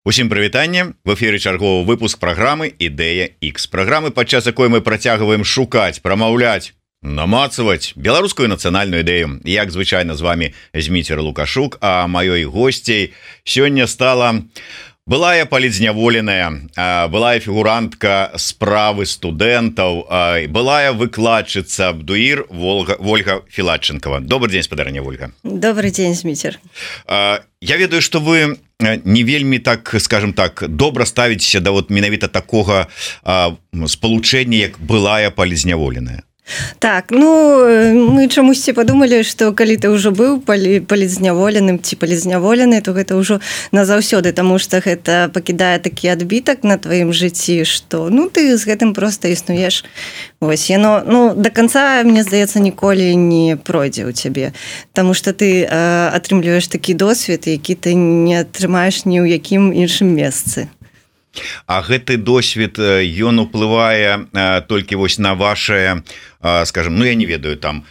Усім прывітанне, в эфіры чарговы выпуск праграмы Ідэя X. Праграмы, падчас якой мы працягваем шукаць, прамаўляць, намацаваць беларускую нацыянальную ідэю. Як звычайна з вами Зміцер Лукашук, а маёй госцей сёння стала былая палізняволеная, былая фігурантка справы студэнтаў, былая выкладчыца Абдуір Вольга Філатченкова. Добрый дзень, спадарня Вольга. Добрый дзень, Зміцер. Я ведаю, што вы не вельмі так, скажем так, добра ставіцеся да вот менавіта такога спалучэння, як былая палізняволеная. Так, ну, мы чамусьці падумалі, што калі ты ўжо быў палізняволеным ці палізняволены, то гэта ўжо назаўсёды, таму што гэта пакідае такі адбітак на тваім жыцці, што ну ты з гэтым проста існуеш. Вось яно, ну, да канца, мне здаецца, ніколі не пройдзе ў цябе, таму што ты атрымліваеш такі досвед, які ты не атрымаеш ні ў якім іншым месцы. А гэты досвед, ён уплывае толькі вось на ваши, скажем, ну я не ведаю, там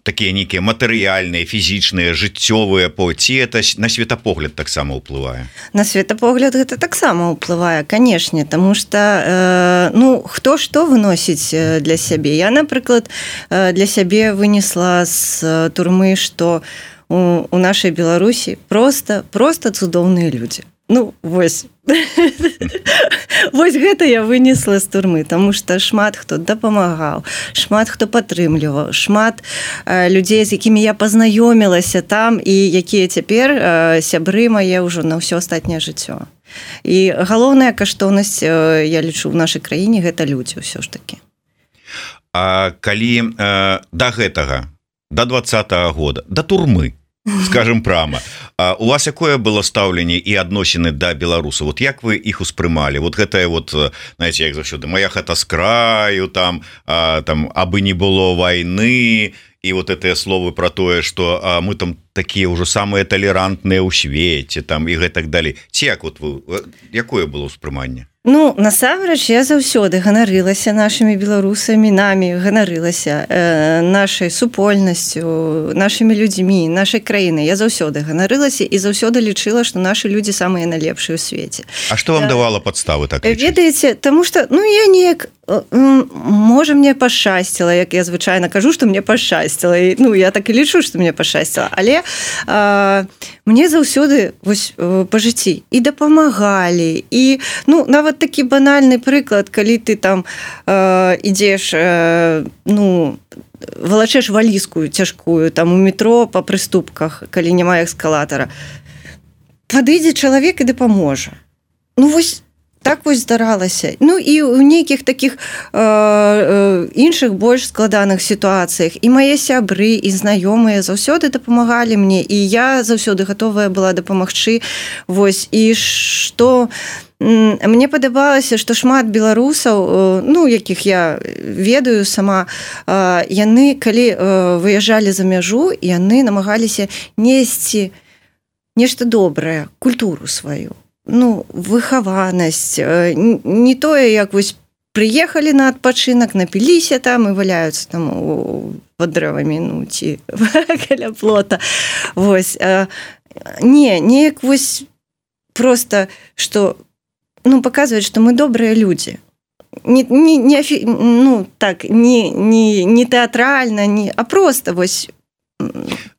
такія нейкія матэрыяльныя, фізічныя, жыццёвыя ці это на светапогляд таксама ўплывае? На светапогляд гэта таксама ўплывае, канешне, таму што ну хто што выносіць для сябе. Я, напрыклад, для сябе вынесла з турмы, што у нашай Беларусі проста цудоўныя людзі. Ну, вось. Вось гэта я вынесла з турмы, таму што шмат хто дапамагаў, шмат хто падтрымліваў, шмат людзей, з якімі я пазнаёмілася там і якія цяпер сябры мае ўжо на ўсё астатняе жыццё. І галоўная каштоўнасць, я лічу, в нашай краіне гэта людзі ўсё ж такі. А калі да гэтага, да 20-го года, да турмы, скажем прямо, у вас якое было стаўленне і адносіны да беларусаў? Вот як вы іх успрымалі? Вот гэтае вот, знаете, як заўсёды, моя хата з краю, там абы не было вайны, і вот гэтыя словы про тое, што мы там такія ўжо самыя талерантныя ў свеце, там і гэтак далей. Ці як вот вы, якое было ўспрыманне? Ну, насамрэч, я заўсёды ганарылася нашымі беларусамі, намі ганарылася нашай супольнасцю, нашымі людзьмі, нашай краінай. Я заўсёды ганарылася і заўсёды лічыла, што нашы людзі самыя найлепшыя ў свеце. А што вам давала падставы так лічыць? Ведаеце, таму што, ну, я неяк, можа, мне пашчасціла, як я звычайна кажу, што мне пашчасціла. Ну, я так і лічу, што мне пашчасціла. Але мне заўсёды вось па жыцці і дапамагалі, і, ну, нават такі банальны прыклад, калі ты там ідзеш, ну, валачэш валізку цяжкую там у метро па прыступках, калі няма эскалатара, падыдзе чалавек і дапаможа. Ну, вось так вось здаралася. Ну, і ў нейкіх такіх іншых больш складаных сітуацыях і мае сябры, і знаёмыя заўсёды дапамагалі мне, і я заўсёды гатовая была дапамагчы. Вось, і што мне падабалася, што шмат беларусаў, ну, якіх я ведаю сама, яны, калі выязджалі за мяжу, яны намагаліся несці нешта добрае, культуру сваю. Ну, выхаванасць, не тое, як вось прыехалі на адпачынак, напіліся там і валяюцца там пад дрэвамі, ну, ці каля плота. Вось. Не, неяк вось проста, што, ну, паказваць, што мы добрыя людзі. Ну, так, не тэатральна, а проста вось.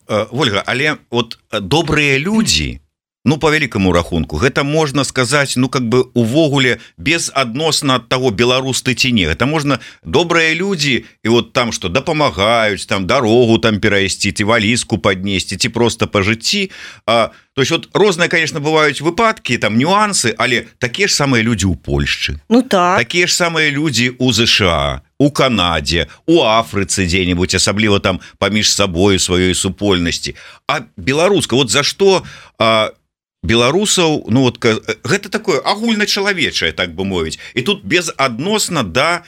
Вольга, але вот добрыя людзі, ну, по вялікаму рахунку, гэта можна сказаць, ну, как бы увогуле безадносна ад таго, беларус ты ці не. Гэта можна добрыя людзі, і вот там што дапамагаюць, там дарогу там перайсці, ці валізку паднесці, ці проста па жыцці. То есть вот розныя, конечно, бываюць выпадкі, там нюансы, але такія ж самыя людзі ў Польшчы. Ну так. Такія ж самыя людзі ў ЗША, у Канадзе, у Афрыцы дзе-небудзь, асабліва там паміж сабою сваёй супольнасці. А беларуска, вот за што беларусаў, ну вот гэта такое агульначалавечае, так бы мовіць, і тут безадносна да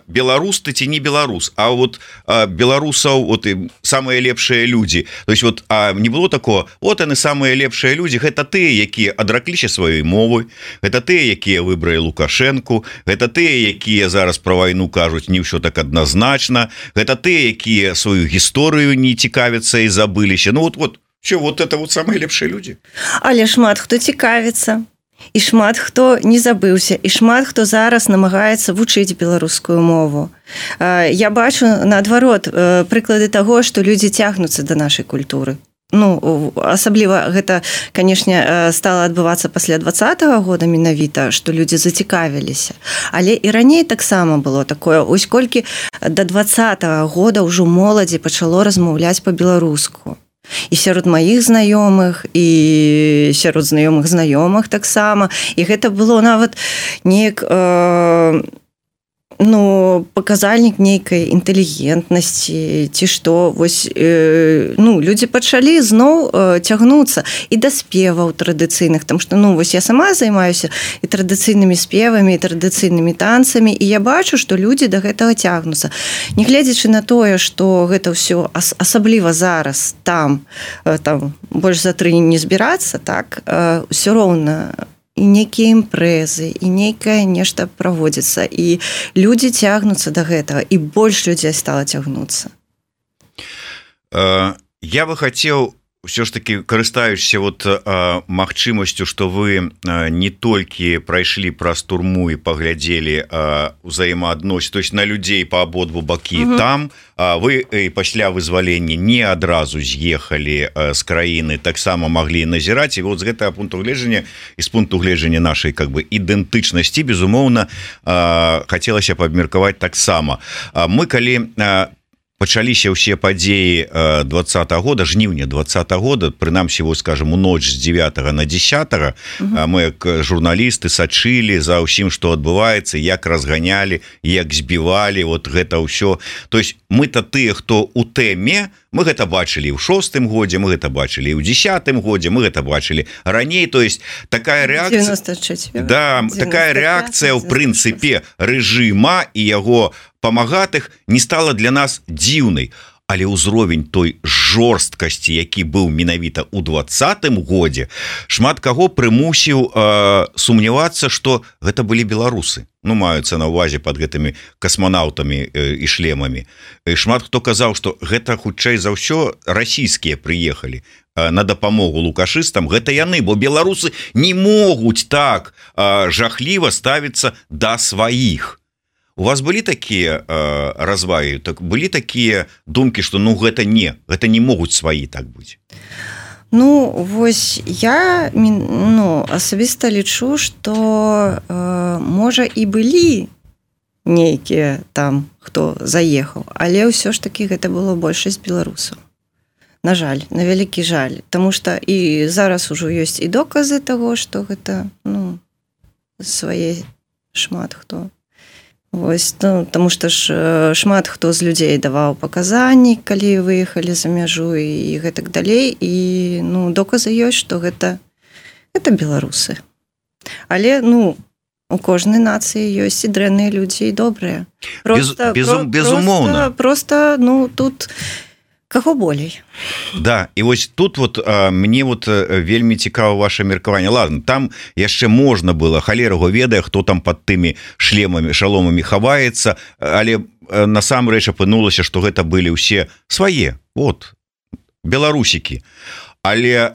беларус ты ці не беларус, а вот беларусаў вот і самыя лепшыя людзі. То есть вот не было такого, вот яны самыя лепшыя людзі, гэта тыя, якія адракліся сваёй мовы, гэта тыя, якія выбралі Лукашэнку, гэта тыя, якія зараз пра вайну кажуць не ўсё так адназначна, гэта тыя, якія сваю гісторыю не цікавяцца і забыліся. Ну вот Что, вот это вот самые лепшие люди. Але шмат хто цікавіцца. І шмат хто не забыўся, і шмат хто зараз намагаецца вучыць беларускую мову. Я бачу, наадварот, прыклады таго, што людзі цягнуцца да нашай культуры. Ну, асабліва гэта, канешне, стала адбывацца пасля 20-го года менавіта, што людзі зацікавіліся. Але і раней таксама было такое. Ось колькі да 20-го года ўжо моладзі пачало размаўляць па-беларуску. І сярод маіх знаёмых, і сярод знаёмых таксама. І гэта было нават неяк паказальнік нейкай інтэлігентнасці, ці што. Вось, людзі пачалі зноў цягнуцца і да спеваў традыцыйных, там што, вось я сама займаюся і традыцыйнымі спевамі, і традыцыйнымі танцамі, і я бачу, што людзі да гэтага цягнуцца. Нягледзячы на тое, што гэта ўсё, асабліва зараз, там больш за 3 не збірацца, так, ўсё роўна і нейкія імпрэзы, і нейкае нешта праводзіцца, і людзі цягнуцца да гэтага, і больш людзей стала цягнуцца. Я бы хацеў все ж таки, карыстаючыся вот магчымасцю, што вы не толькі прайшлі праз турму і паглядзелі ўзаемаадносіны, то есть на людзей па абодву бакі, там вы пасля вызвалення не адразу з'ехалі з краіны, таксама маглі назіраць, і вот з гэтага пункту гледжання і з пункту гледжання нашай как бы ідэнтычнасці, безумоўна, хацелася б абмеркаваць таксама. Мы калі пачаліся ўсе падзеі 20-го года, жніўня 20-го года, прынамсі, вось, скажем, у ноч з 9 на 10, мы як журналісты сачылі за ўсім, што адбываецца, як разганялі, як збівалі, вот гэта ўсё. То есть мы-то тыя, хто у тэме, мы гэта бачылі ў 6-м годзе, мы гэта бачылі ў 10-м годзе, мы гэта бачылі раней, то есть такая рэакцыя, да, такая рэакцыя ў прынцыпе рэжыма і яго памагатых не стала для нас дзіўнай, але ўзровень той жорсткасці, які быў менавіта ў 20-м годзе, шмат каго прымусіў сумнявацца, што гэта былі беларусы. Маюцца на ўвазе пад гэтымі касманаўтамі і шлемамі. І шмат хто казаў, што гэта хутчэй за ўсё расійскія прыехалі на дапамогу лукашыстам, гэта яны, бо беларусы не могуць так жахліва ставіцца да сваіх. У вас былі такія развагі, былі такія думкі, што гэта не могуць сваі так быць? Вось я асабіста лічу, што можа і былі нейкія там, хто заехаў, але ўсё ж такі гэта было большасць беларусаў. На жаль, на вялікі жаль, таму што і зараз ужо ёсць і доказы таго, што гэта свае шмат хто. Вось, таму што ж шмат хто з людзей даваў паказанні, калі выехалі за мяжу і гэтак далей, і доказы ёсць, што гэта беларусы. Але у кожнай нацыі ёсць і дрэнныя людзі, і добрыя. Безумоўна. Просто тут каго болей. Да, і вось тут вот мне вот вельмі цікава ваше меркаванне. Ладно, там яшчэ можна было, халерага ведае, хто там пад тымі шлемамі, шаломамі хаваецца, але насамрэч апынулася, што гэта былі ўсе свае, вот, беларусікі. Але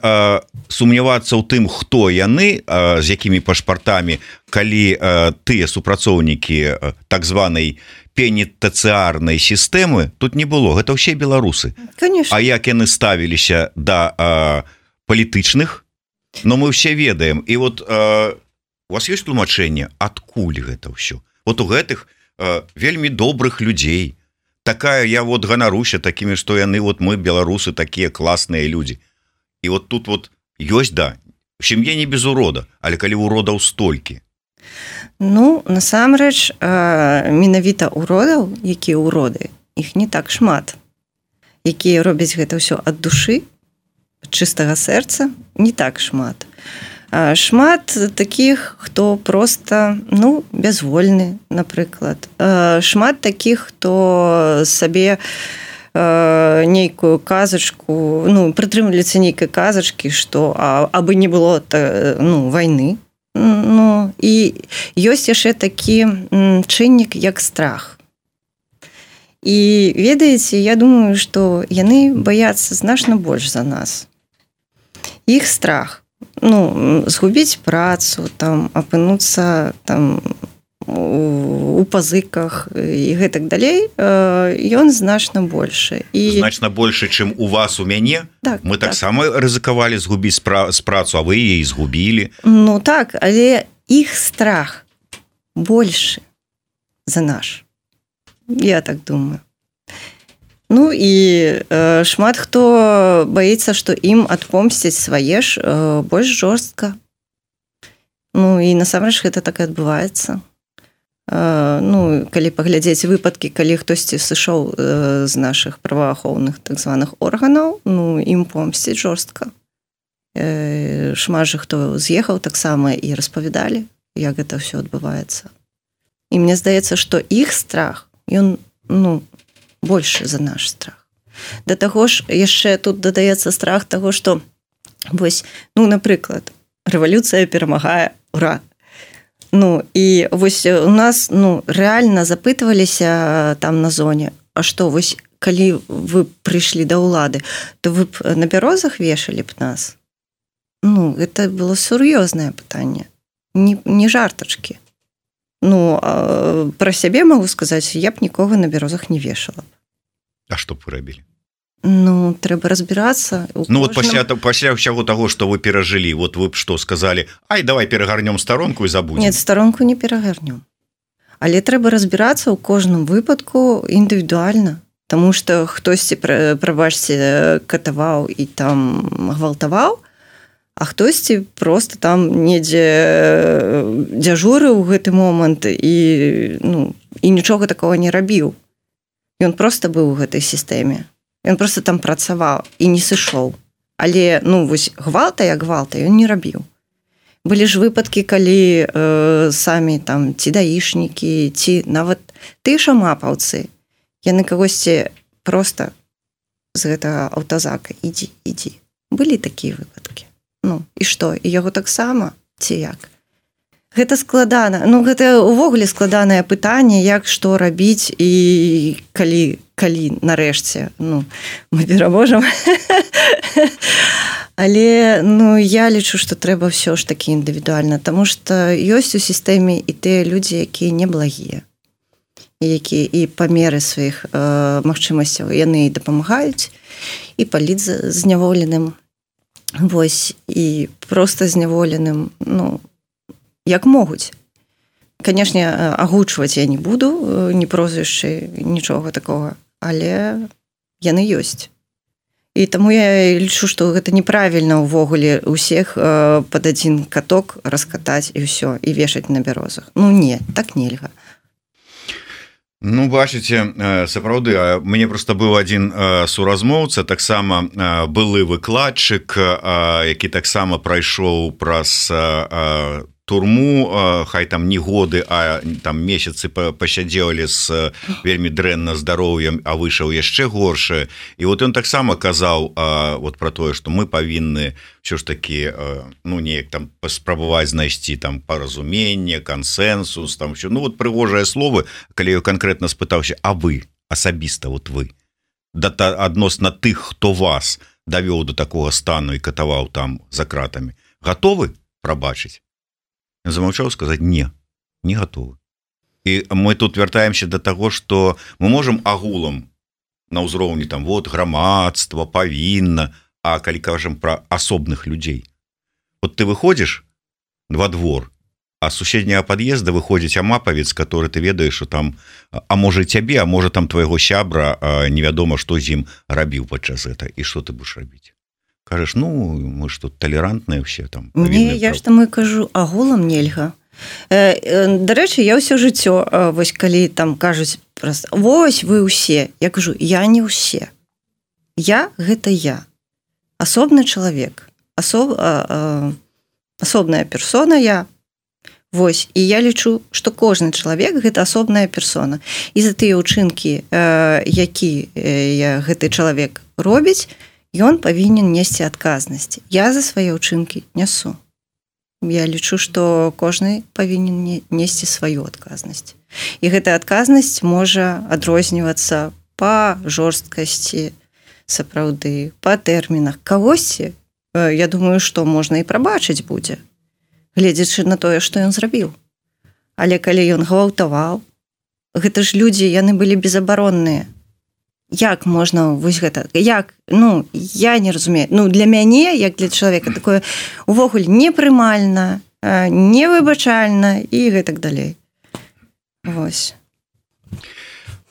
сумнявацца ў тым, хто яны, з якімі пашпартамі, калі тыя супрацоўнікі так званай пенітэнцыярнай сістэмы, тут не было, гэта ўсе беларусы. Конечно. А як яны ставіліся да палітычных, мы ўсе ведаем. І вот у вас ёсць тлумачэнне, адкуль гэта ўсё? Вот у гэтых вельмі добрых людзей. Такая, я вот ганаруся такімі, што яны, вот мы, беларусы, такія класныя людзі. І вот тут вот ёсць, да, в сям'е не без урода, але калі уродаў столькі. Насамрэч, менавіта уродаў, якія уроды, іх не так шмат. Якія робяць гэта ўсё ад душы, ад чыстага сэрца, не так шмат. Шмат такіх, хто проста, бязвольны, напрыклад. Шмат такіх, хто сабе нейкую казачку, прытрымліваецца нейкай казачкі, што абы не было вайны. І ёсць яшчэ такі чыннік, як страх. І ведаеце, я думаю, што яны баяцца значна больш за нас. іх страх, ну, згубіць працу, там, апынуцца там у пазыках і гэтак далей, ён значна большы. Значна большы, чым у вас, у мяне? Так, мы таксама рызыкавалі згубіць працу, а вы яе згубілі. Ну так, але іх страх большы за наш. Я так думаю. Ну і шмат хто баіцца, што ім адпомсціць свае ж больш жорстка. Ну і насамрэч гэта так і адбываецца. Ну, калі паглядзець выпадкі, калі хтосьці сышоў з нашых праваахоўных так званых органаў, ну, ім помсціць жорстка. Шмат жа хто з'ехаў таксама і распавядалі, як гэта ўсё адбываецца. І мне здаецца, што іх страх, ён, ну, большы за наш страх. Да таго ж, яшчэ тут дадаецца страх таго, што, вось, ну, напрыклад, рэвалюцыя перамагае, ура! Ну, і вось у нас, ну, рэальна запытваліся там на зоне, а што, вось, калі вы прыйшлі да ўлады, то вы б на бярозах вешалі б нас? Ну, гэта было сур'ёзнае пытанне, не жартачкі. Ну, пра сябе магу сказаць, я б нікога на бярозах не вешала. А што б вы рабілі? Ну, трэба разбірацца. Ну, вот пасля ўсяго таго, што вы перажылі, вот вы б што сказалі, ай, давай перагарнём старонку і забудзем. Нет, старонку не перагарнём. Але трэба разбірацца ў кожным выпадку індывідуальна. Таму што хтосьці, прабачце, катаваў і там гвалтаваў, а хтосьці проста там недзе дзяжурыў у гэты момант і, ну, і нічога такого не рабіў. Ён проста быў у гэтай сістэме. Ён проста там працаваў і не сышоў. Але, ну, вось гвалта як гвалта ён не рабіў. Былі ж выпадкі, калі самі там ці даішнікі, ці нават тыя шамапаўцы, яны кагосьці проста з гэтага аўтазака ідзі. Былі такія выпадкі. Ну, і што? І яго таксама? Ці як? Гэта складана. Ну, гэта ўвогуле складанае пытанне, як што рабіць і калі нарэшце, ну, мы пераможам. Але, ну, я лічу, што трэба ўсё ж такі індывідуальна, таму што ёсць у сістэме і тыя людзі, якія неблагія, якія і па меры сваіх магчымасцяў яны і дапамагаюць, і паліць зняволеным. Вось, і проста зняволеным, ну, як могуць. Канешне, агучваць я не буду, не прозвішчы, нічога такога, але яны ёсць. І таму я лічу, што гэта неправільна ўвогуле ўсіх пад адзін каток раскатаць і ўсё, і вешаць на бярозах. Ну не, так нельга. Ну, бачыце, сапраўды, мне проста быў адзін суразмоўца, таксама былы выкладчык, які таксама прайшоў праз турму, хай там не годы, а там месяцы пасядзелі з вельмі дрэнна здароўем, а выйшаў яшчэ горшае. І вот ён таксама казаў вот пра тое, што мы павінны ўсё ж такі, ну, неяк там паспрабаваць знайсці там паразуменне, кансэнсус, там ўсё. Ну, вот прыгожыя словы, калі я канкрэтна спытаўся, а вы, асабіста, вот вы, адносна тых, хто вас давёў до такога стану і катаваў там за кратамі, гатовы прабачыць? Замаўчаў сказаць, не гатовы. І мы тут вяртаемся да таго, што мы можам агулам на ўзроўні там вот грамадства павінна, а калі кажам пра асобных людзей. Вот ты выходзіш во двор, а з суседняга пад'езда выходзіць амапавец, который ты ведаеш, што там, а можа цябе, а можа там твайго сябра, невядома, што з ім рабіў падчас гэта, і што ты будаш рабіць? Кажаш, ну, мы ж тут талерантныя ўсе там. Не, я ж там і кажу, агулам нельга. Дарэчы, я ўсё жыццё, вось калі там кажуць проста, вось вы ўсе, я кажу, я не ўсе. Я – гэта я. Асобны чалавек. Асобная персона я. Вось, і я лічу, што кожны чалавек – гэта асобная персона. І за тыя ўчынкі, які гэты чалавек робіць, ён павінен несці адказнасць. Я за свае ўчынкі нясу. Я лічу, што кожны павінен несці сваю адказнасць. І гэтая адказнасць можа адрознівацца па жорсткасці, сапраўды, па тэрмінах. Кагосьці я думаю, што можна і прабачыць будзе, гледзячы на тое, што ён зрабіў. Але калі ён гвалтаваў, гэта ж людзі, яны былі безабаронныя. Як можна вось гэта? Як? Ну, я не разумею. Ну, для мяне, як для чалавека, такое увогуле непрымальна, невыбачальна і гэтак далей. Вось.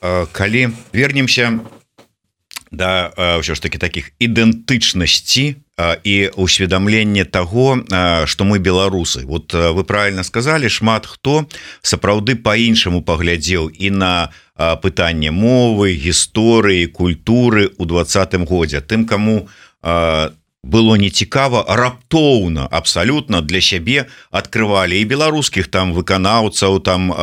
Калі вернемся да ўсё ж таки таких ідэнтычнасці і усведамлення таго, што мы беларусы. Вот вы правильно сказали, шмат хто сапраўды по-іншаму паглядзеў і на пытанне мовы, гісторыі, культуры ў 20-м годзе. Тым, каму было нецікава, раптоўна абсалютна для сябе адкрывалі і беларускіх там выканаўцаў, там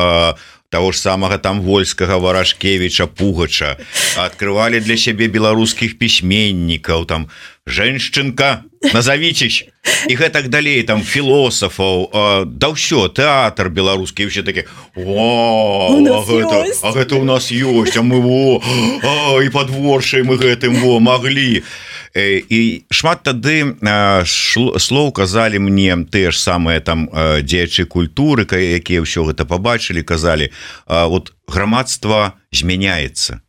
того ж самага там Вольскага, Варашкевіча, Пугача, открывали для сябе беларускіх пісьменнікаў, там Женшчынка, назовитесь, і гэтак далей, там філосафаў, да ўсё, тэатр беларускі, ўсе такі, а гэта у нас ёсць, а мы і падворшай мы гэтым маглі. І шмат тады слоў казалі мне тыя ж самыя там дзеячы культуры, якія ўсё гэта пабачылі, казалі, вот грамадства змяняецца,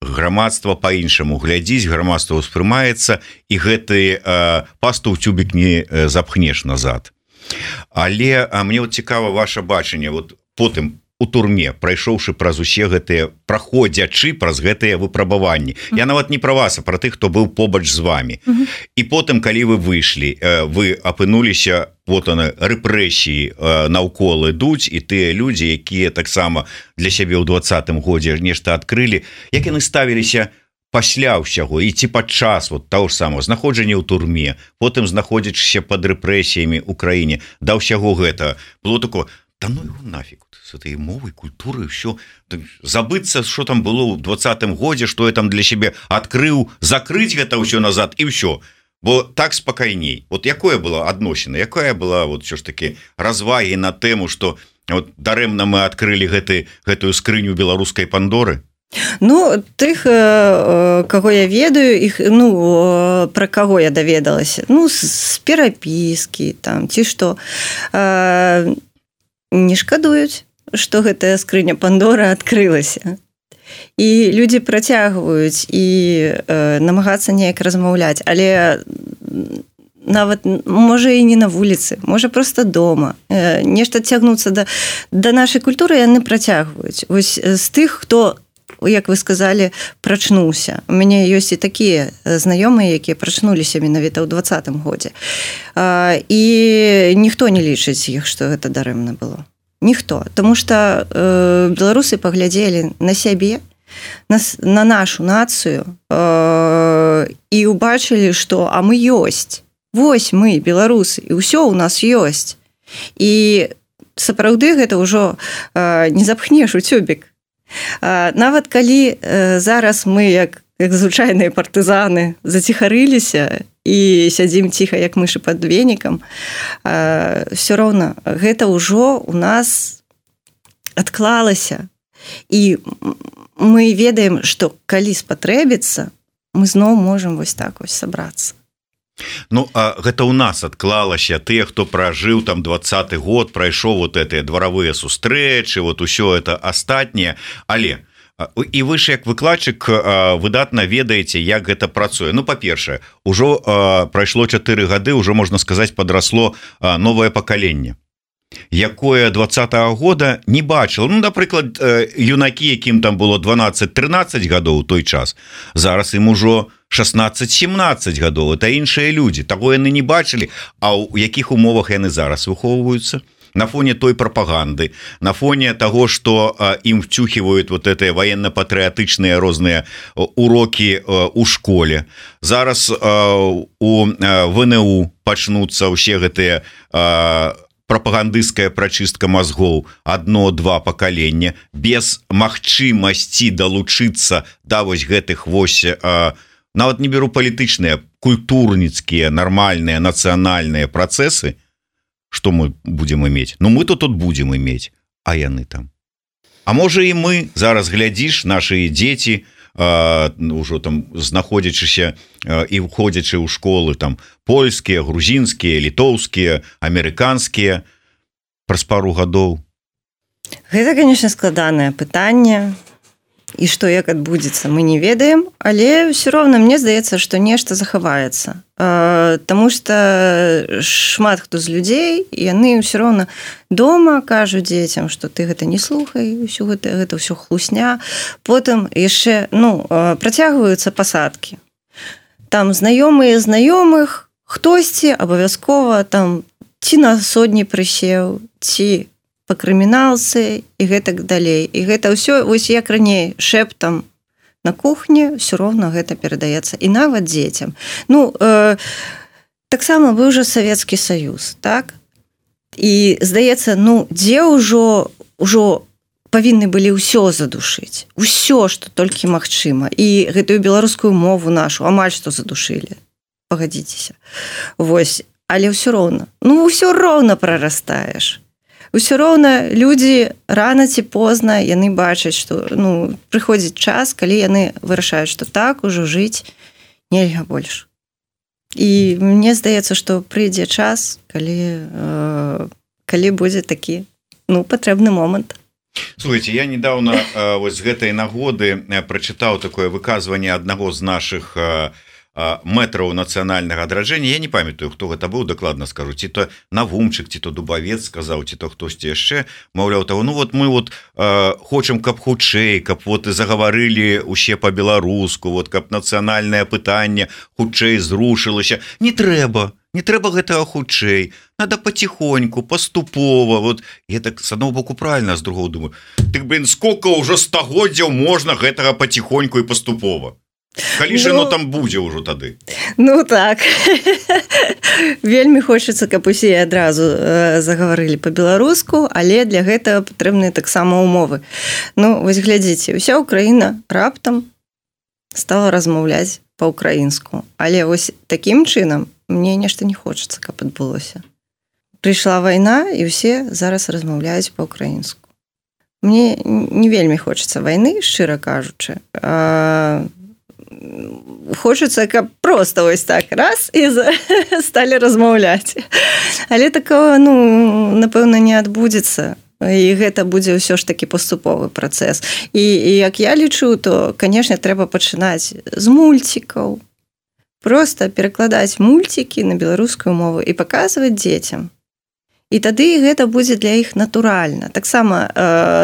грамадства по-іншаму глядзіць, грамадства ўспрымаецца, і гэты пасту ў цюбік не запхнеш назад. Але мне вот цікава ваше бачанне, вот потым у турме, прайшоўшы праз усе гэтыя, праходзячы праз гэтыя выпрабаванні. Я нават не пра вас, а пра тых, хто быў побач з вами. І потым, калі вы выйшлі, вы апынуліся, вот она, рэпрэсіі наўкол ідуць, і тыя людзі, якія таксама для сябе ў 20-м годзе нешта адкрылі, як яны ставіліся пасля ўсяго, і ці падчас вот таго ж самого знаходжання ў турме, потым знаходзячыся пад рэпрэсіямі ў краіне, да ўсяго гэта было такое, да ну его нафиг, с этой мовой, культурой, все, забыться, что там было в 20-м годзе, что я там для себя открыл, закрыть это все назад, и все. Бо так спокойней. Вот якое было адносіна, якая была вот все ж таки развагі на тему, что вот дарэмна мы открыли гэтую скрыню беларускай Пандоры? Ну, тых, каго я ведаю, іх, ну, пра каго я даведалася, ну, з перапіскі, там, ці што, не шкадуюць, што гэтая скрыня Пандора адкрылася. І людзі працягваюць і намагацца неяк размаўляць, але нават, можа, і не на вуліцы, можа, проста дома. Нешта цягнуцца да нашай культуры яны працягваюць. Вось з тых, хто, як вы сказалі, прачнуўся. У мяне ёсць і такія знаёмыя, якія прачнуліся менавіта ў 20-м годзе. І ніхто не лічыць іх, што гэта дарэмна было. Ніхто. Таму што беларусы паглядзелі на сябе, на нашу нацыю і ўбачылі, што а мы ёсць. Вось мы, беларусы, і ўсё ў нас ёсць. І сапраўды гэта ўжо не запхнеш у цюбік. Нават калі зараз мы, як звычайныя партызаны, заціхарыліся і сядзім ціха, як мышы пад венікам, все роўна гэта ўжо у нас адклалася. І мы ведаем, што калі спатрэбіцца, мы зноў можам вось так вось сабрацца. Ну, а гэта ў нас адклалася, тыя, хто пражыў там 20-й год, прайшоў вот гэтыя дваравыя сустрэчы, вот усё это астатняе, але і вы ж як выкладчык выдатна ведаеце, як гэта працуе. Ну, па-першае, ужо прайшло 4 гады, ўжо, можна сказаць, падрасло новае пакаленне, якое 20-го года не бачыло. Ну, напрыклад, юнакі, якім там было 12-13 гадоў у той час, зараз ім ужо 16-17 гадоў, это іншыя людзі, таго яны не бачылі, а ў якіх умовах яны зараз выхоўваюцца? На фоне той пропаганды, на фоне того, что им втюхивают вот это военно-патриотичные розныя уроки у школе. Зараз у ВНУ пачнуцца ўсе гэтыя прапагандысцкая прачыстка мазгоў, 1-2 пакалення, без магчымасці далучыцца да вось гэтых вось, нават не беру палітычныя, культурніцкія, нармальныя, нацыянальныя працэсы. Что мы будем иметь? Ну, мы-то тут будем иметь, а яны там. А можа і мы, зараз глядзіш, наши дзеці ўжо там знаходзячыся і ўходзячы ў школы там польскія, грузінскія, літоўскія, амерыканскія праз пару гадоў? Гэта, конечно, складанае пытанне. І што як адбудзецца, мы не ведаем, але ўсё роўна мне здаецца, што нешта захаваецца. Таму што шмат хто з людзей, яны ўсё роўна дома кажуць дзецям, што ты гэта не слухай, гэта ўсё хлусня. Потым яшчэ працягваюцца пасадкі. Там знаёмыя знаёмых, хтосьці абавязкова там ці на сотні прысеў, ці па крыміналцы і гэтак далей. І гэта ўсё, вось як раней, шэптам на кухні, ўсё роўна гэта перадаецца. І нават дзецям. Таксама быў жа Савецкі Саюз, так? І, здаецца, дзе ўжо павінны былі ўсё задушыць. Усё, што толькі магчыма. І гэтую беларускую мову нашу амаль што задушылі. Пагадзіцеся. Вось. Але ўсё роўна. Ўсё роўна прарастаеш. Усё роўна людзі рана ці позна яны бачаць, што прыходзіць час, калі яны вырашаюць, што так ужо жыць нельга больш. І мне здаецца, што прыйдзе час, калі будзе такі патрэбны момант. Слухайте, я недавно вось з гэтай нагоды прачытаў такое выказванне аднаго з нашых мэтраў нацыянальнага адраджэння. Я не памятаю, хто гэта быў, дакладна скажу, ці то Навумчык, ці то Дубавец сказаў, ці то хтосьці яшчэ, маўляў таго, мы хочам, каб хутчэй, каб загаварылі усе па-беларуску, каб нацыянальнае пытанне хутчэй зрушылася. Не трэба гэтага хутчэй, надо паціхоньку, паступова. Я так з аднаго боку правильно, з другого думаю, сколько ўжо стагоддзяў можна гэтага паціхоньку і паступова? Калі ж там будзе ўжо тады? Так. Вельмі хочацца, каб усе адразу загаварылі па-беларуску, але для гэтага патрэбныя таксама умовы. Вось глядзіце, уся Украіна раптам стала размаўляць па-украінску. Але вось такім чынам мне нешта не хочацца, каб адбылося. Прыйшла вайна, і ўсе зараз размаўляюць па-украінску. Мне не вельмі хочацца вайны, шчыра кажучы. Хочацца, каб проста вось так раз і сталі размаўляць. Але такого, напэўна, не адбудзецца. І гэта будзе ўсё ж такі паступовы працэс. І як я лічу, то, канешне, трэба пачынаць з мульцікаў. Проста перакладаць мульцікі на беларускую мову і паказваць дзецям. І тады гэта будзе для іх натуральна. Таксама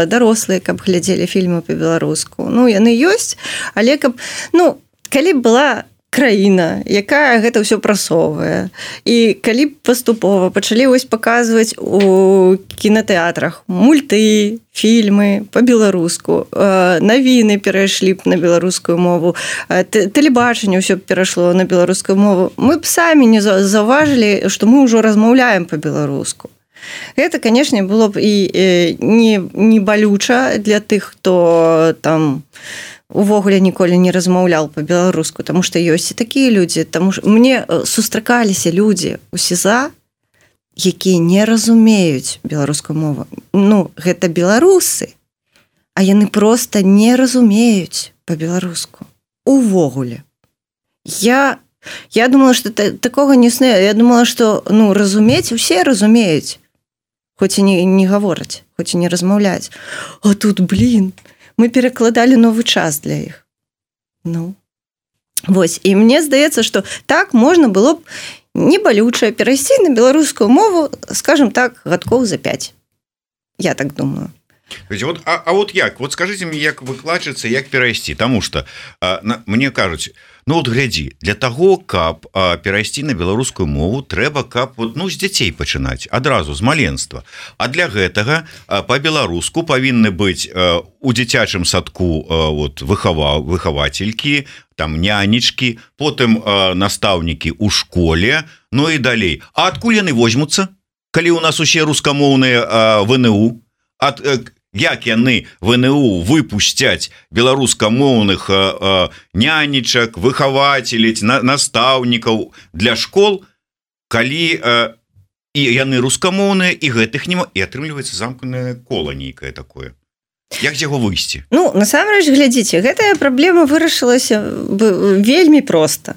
дарослыя, каб глядзелі фільмы па-беларуску. Яны ёсць, але каб, калі б была краіна, якая гэта ўсё прасоўвае, і калі б паступова пачалі паказваць у кінатэатрах мульты, фільмы па-беларуску, навіны перайшлі б на беларускую мову, тэлебачанне ўсё перайшло на беларускую мову, мы б самі не заўважылі, што мы ўжо размаўляем па-беларуску. Гэта, канешне, было б і не балюча для тых, хто там увогуле ніколі не размаўляў па-беларуску, таму што ёсць і такія людзі. Мне сустракаліся людзі ў СІЗА, якія не разумеюць беларускую мову. Гэта беларусы, а яны проста не разумеюць па-беларуску. Увогуле. Я думала, што такога не існуе. Я думала, што разумець усе разумеюць, хоць і не гавораць, хоць і не размаўляць. А тут, мы перакладалі новы час для іх. Вось. І мне здаецца, што так можна было б не балюча перайсці на беларускую мову, скажем так, гадкоў за 5. Я так думаю. Як? Скажыце мне, як выкладчыца, як перайсці? Таму што мне кажуць, глядзі, для таго, каб перайсці на беларускую мову, трэба, каб з дзяцей пачынаць, адразу, з маленства. А для гэтага па-беларуску павінны быць у дзіцячым садку выхавацелькі, там нянечкі, потым настаўнікі ў школе, і далей. А адкуль яны возьмуцца, калі ў нас усе рускамоўныя ВНУ? Як яны ВНУ выпусцяць беларускамоўных нянечак, выхавацелей, настаўнікаў для школ, калі і яны рускамоўныя, і гэтых няма, і атрымліваецца замкненае кола нейкае такое. Як з яго выйсці? Ну, насамрэч, глядзіце, гэтая праблема вырашылася вельмі проста.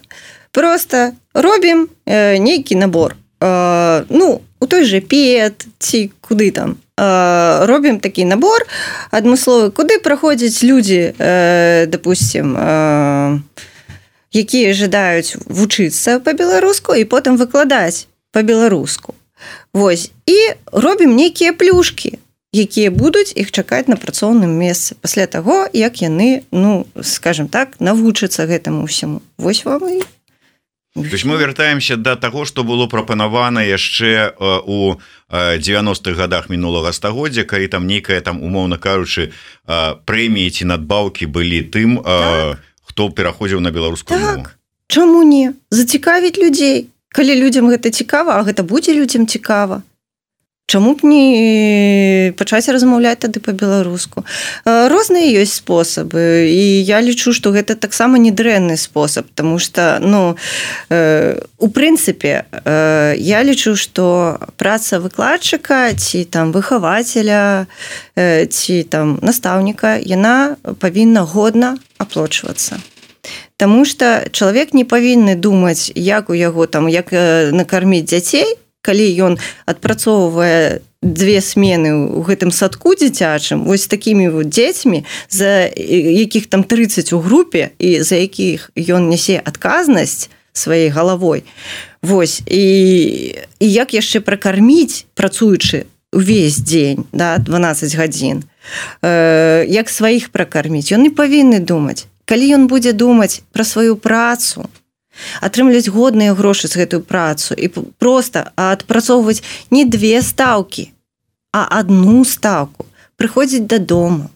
Просто робім нейкі набор. Ну, у той же ПЕТ ці куды там. Робім такі набор адмысловы, куды праходзяць людзі, допустим, якія жадаюць вучыцца па-беларуску і потым выкладаць па-беларуску. Вось. І робім нейкія плюшкі, якія будуць іх чакаць на працоўным месцы пасля таго, як яны, ну, скажем так, навучацца гэтаму ўсяму. Вось вам і... То есть мы вяртаемся до таго, што было прапанавана яшчэ у 90-х годах мінулага стагоддзя, калі там нейкая, там, умоўна кажучы, прэміі ці надбаўкі былі тым, хто пераходзіў на беларускую мову. Так, чаму не? Зацікавіць людзей. Калі людзям гэта цікава, а гэта будзе людзям цікава. Чаму б не пачаць размаўляць тады па-беларуску? Розныя ёсць спосабы, і я лічу, што гэта таксама не дрэнны спосаб, таму што, ну, у прынцыпе, я лічу, што праца выкладчыка ці там выхавацеля ці там настаўніка, яна павінна годна аплочвацца. Таму што чалавек не павінны думаць, як у яго там, як накарміць дзяцей, калі ён адпрацоўвае 2 смены ў гэтым садку дзіцячым, вось такімі вот дзецьмі, за якіх там 30 у групе і за якіх ён нясе адказнасць сваёй галавой. Вось. І як яшчэ пракарміць, працуючы увесь дзень, да, 12 гадзін, як сваіх пракарміць, ён не павінны думаць. Калі ён будзе думаць пра сваю працу, атрымліваць годныя грошы з гэтую працу і проста адпрацоўваць не 2 стаўкі, а 1 стаўку, прыходзіць дадому,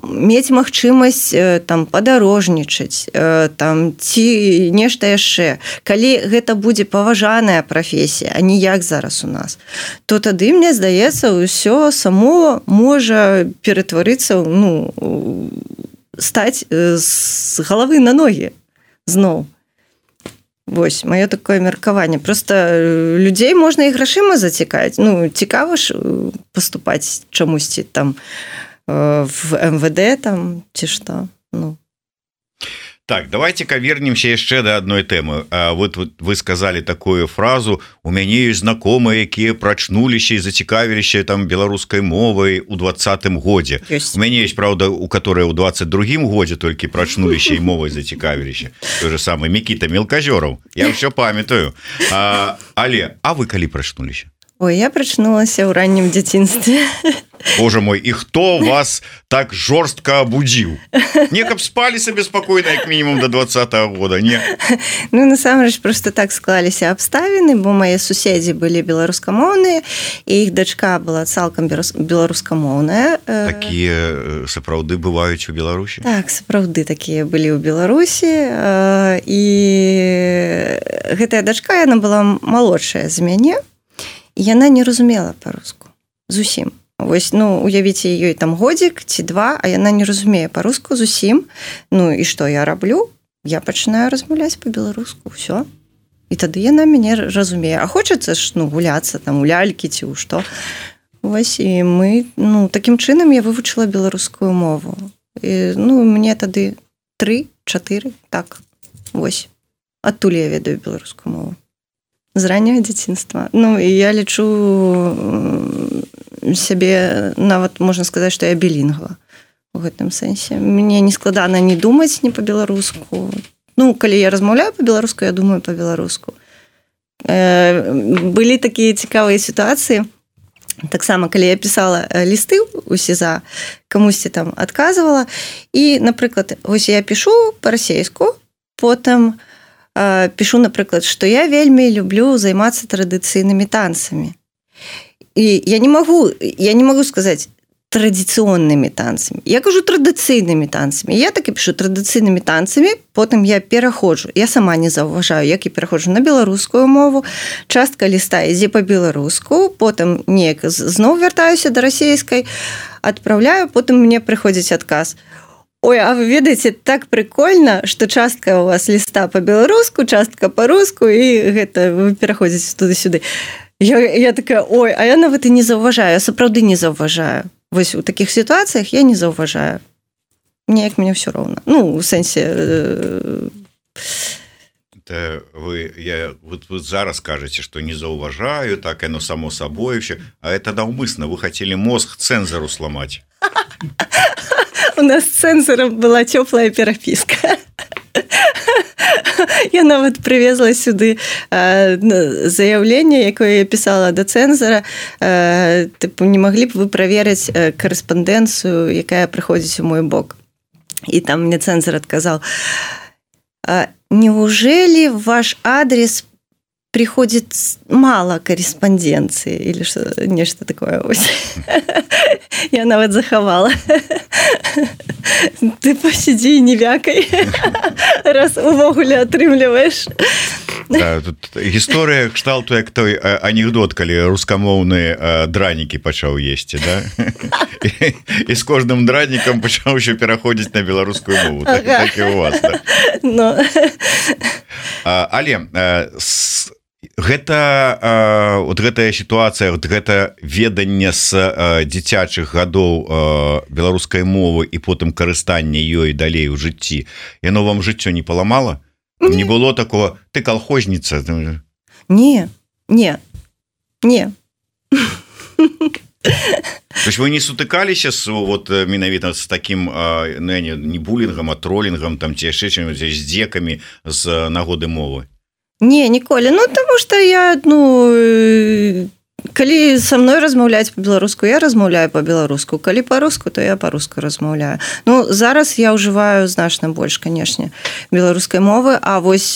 мець магчымасць там падарожнічаць, там ці нешта яшчэ. Калі гэта будзе паважаная прафесія, а не як зараз у нас, то тады, мне здаецца, ўсё само можа ператварыцца, ну, стаць з галавы на ногі зноў. Вось, маё такое меркаванне. Просто людзей можна і грашыма зацікавіць. Ну, цікава ж паступаць чамусьці там в МВД там, ці што. Ну. Так, давайте-ка вернемся яшчэ да адной тэмы. Вы сказали такую фразу: у мяне ёсць знакомыя, якія прачнуліся і зацікавіліся там беларускай мовай у 20-м годзе. У мяне ёсць, правда, у которой у 22-м годзе толькі прачнуліся і мовай зацікавіліся. Той же самый Мікіта Мелказёраў. Я ўсё памятаю. Але, а вы калі прачнуліся? Ой, я прачнулася ў раннім дзяцінстве. Боже мой, і хто вас так жорстка абудзіў? Не, каб спалі сабе спакойна, як мінімум до 20-го года, не? Ну, насамрэч, просто так склаліся абставіны, бо мае суседзі былі беларускамоўныя, і іх дачка была цалкам беларускамоўная. Такія сапраўды бываюць у Беларусі? Так, сапраўды такія былі ў Беларусі, і гэтая дачка, яна была малодшая з мяне, і яна не разумела па-руску зусім. Вось, ну, уявіце, ёй там годзік ці 2, а яна не разумее па-руску зусім. Ну, і што я раблю? Я пачынаю размаўляць па-беларуску, ўсё. І тады яна мяне разумее. А хочацца ж, ну, гуляцца там у лялькі ці ў што. Вось, і мы, ну, такім чынам я вывучыла беларускую мову. І, ну, мне тады 3-4, так, вось. Адтуль я ведаю беларускую мову. З ранняга дзяцінства. Ну, і я лічу сябе, нават можна сказаць, што я білінгва у гэтым сэнсе. Мне не складана не думаць не па-беларуску. Ну, калі я размаўляю па-беларуску, я думаю па-беларуску. Былі такія цікавыя сітуацыі. Таксама, калі я пісала лісты у СІЗА, камусьці там адказвала, і, напрыклад, вось я пішу па-расейску, потым пишу, напрыклад, што я вельмі люблю займацца традыцыйнымі танцамі. І я не магу сказаць традыцыйнымі танцамі. Я кажу традыцыйнымі танцамі. Я так і пишу традыцыйнымі танцамі, потым я пераходжу. Я сама не заўважаю, як я пераходжу на беларускую мову. Частка ліста ідзе па-беларуску, потым неяк зноў вяртаюся да расейскай, адпраўляю, потым мне прыходзіць адказ: ой, а вы ведаеце, так прикольно, што частка у вас ліста па-беларуску, частка па-руску, і гэта вы пераходзіце туды-сюды. Я такая, ой, а я нават і не заўважаю, я сапраўды не заўважаю. вось у такіх сітуацыях я не заўважаю. Неяк мне ўсё роўна. Ну, у сэнсе... Вы зараз кажаце, што не заўважаю, так яно само сабой, а это наўмысна, вы хацелі мозг цэнзару сламаць. У нас з цэнзарам была цёплая перапіска. Я нават прывезла сюды заяўленне, якое я пісала да цэнзара. Тыпу, не маглі б вы праверыць карэспандэнцыю, якая прыходзіць у мой бок. І там мне цэнзар адказаў: неужели в ваш адрес приходит мало корреспонденции или нечто такое? Я нават захавала. Ты посиди и не вякай, раз увогуле атрымліваеш. Да, тут гісторыя кшталту як той анекдот, калі рускамоўны дранікі пачаў есці, да? І з кожным дранікам пачаў ще пераходзіць на беларускую мову. Так і у вас, да? Но... Але гэтая сітуацыя, гэта веданне з дзіцячых гадоў беларускай мовы і потым карыстанне ёй далей у жыцці, яно вам жыццё не паламала? Не было такого, ты колхозница? Не. То есть вы не сутыкаліся вот менавіта з таким не булінгам, а тролінгам, там ці яшчэ чым, з дзекамі з нагоды мовы? Не, ніколі. Ну, тому што я, калі са мной размаўляць па-беларуску, я размаўляю па-беларуску. Калі па-руску, то я па-руску размаўляю. Ну, зараз я ўжываю значна больш, канешне, беларускай мовы, а вось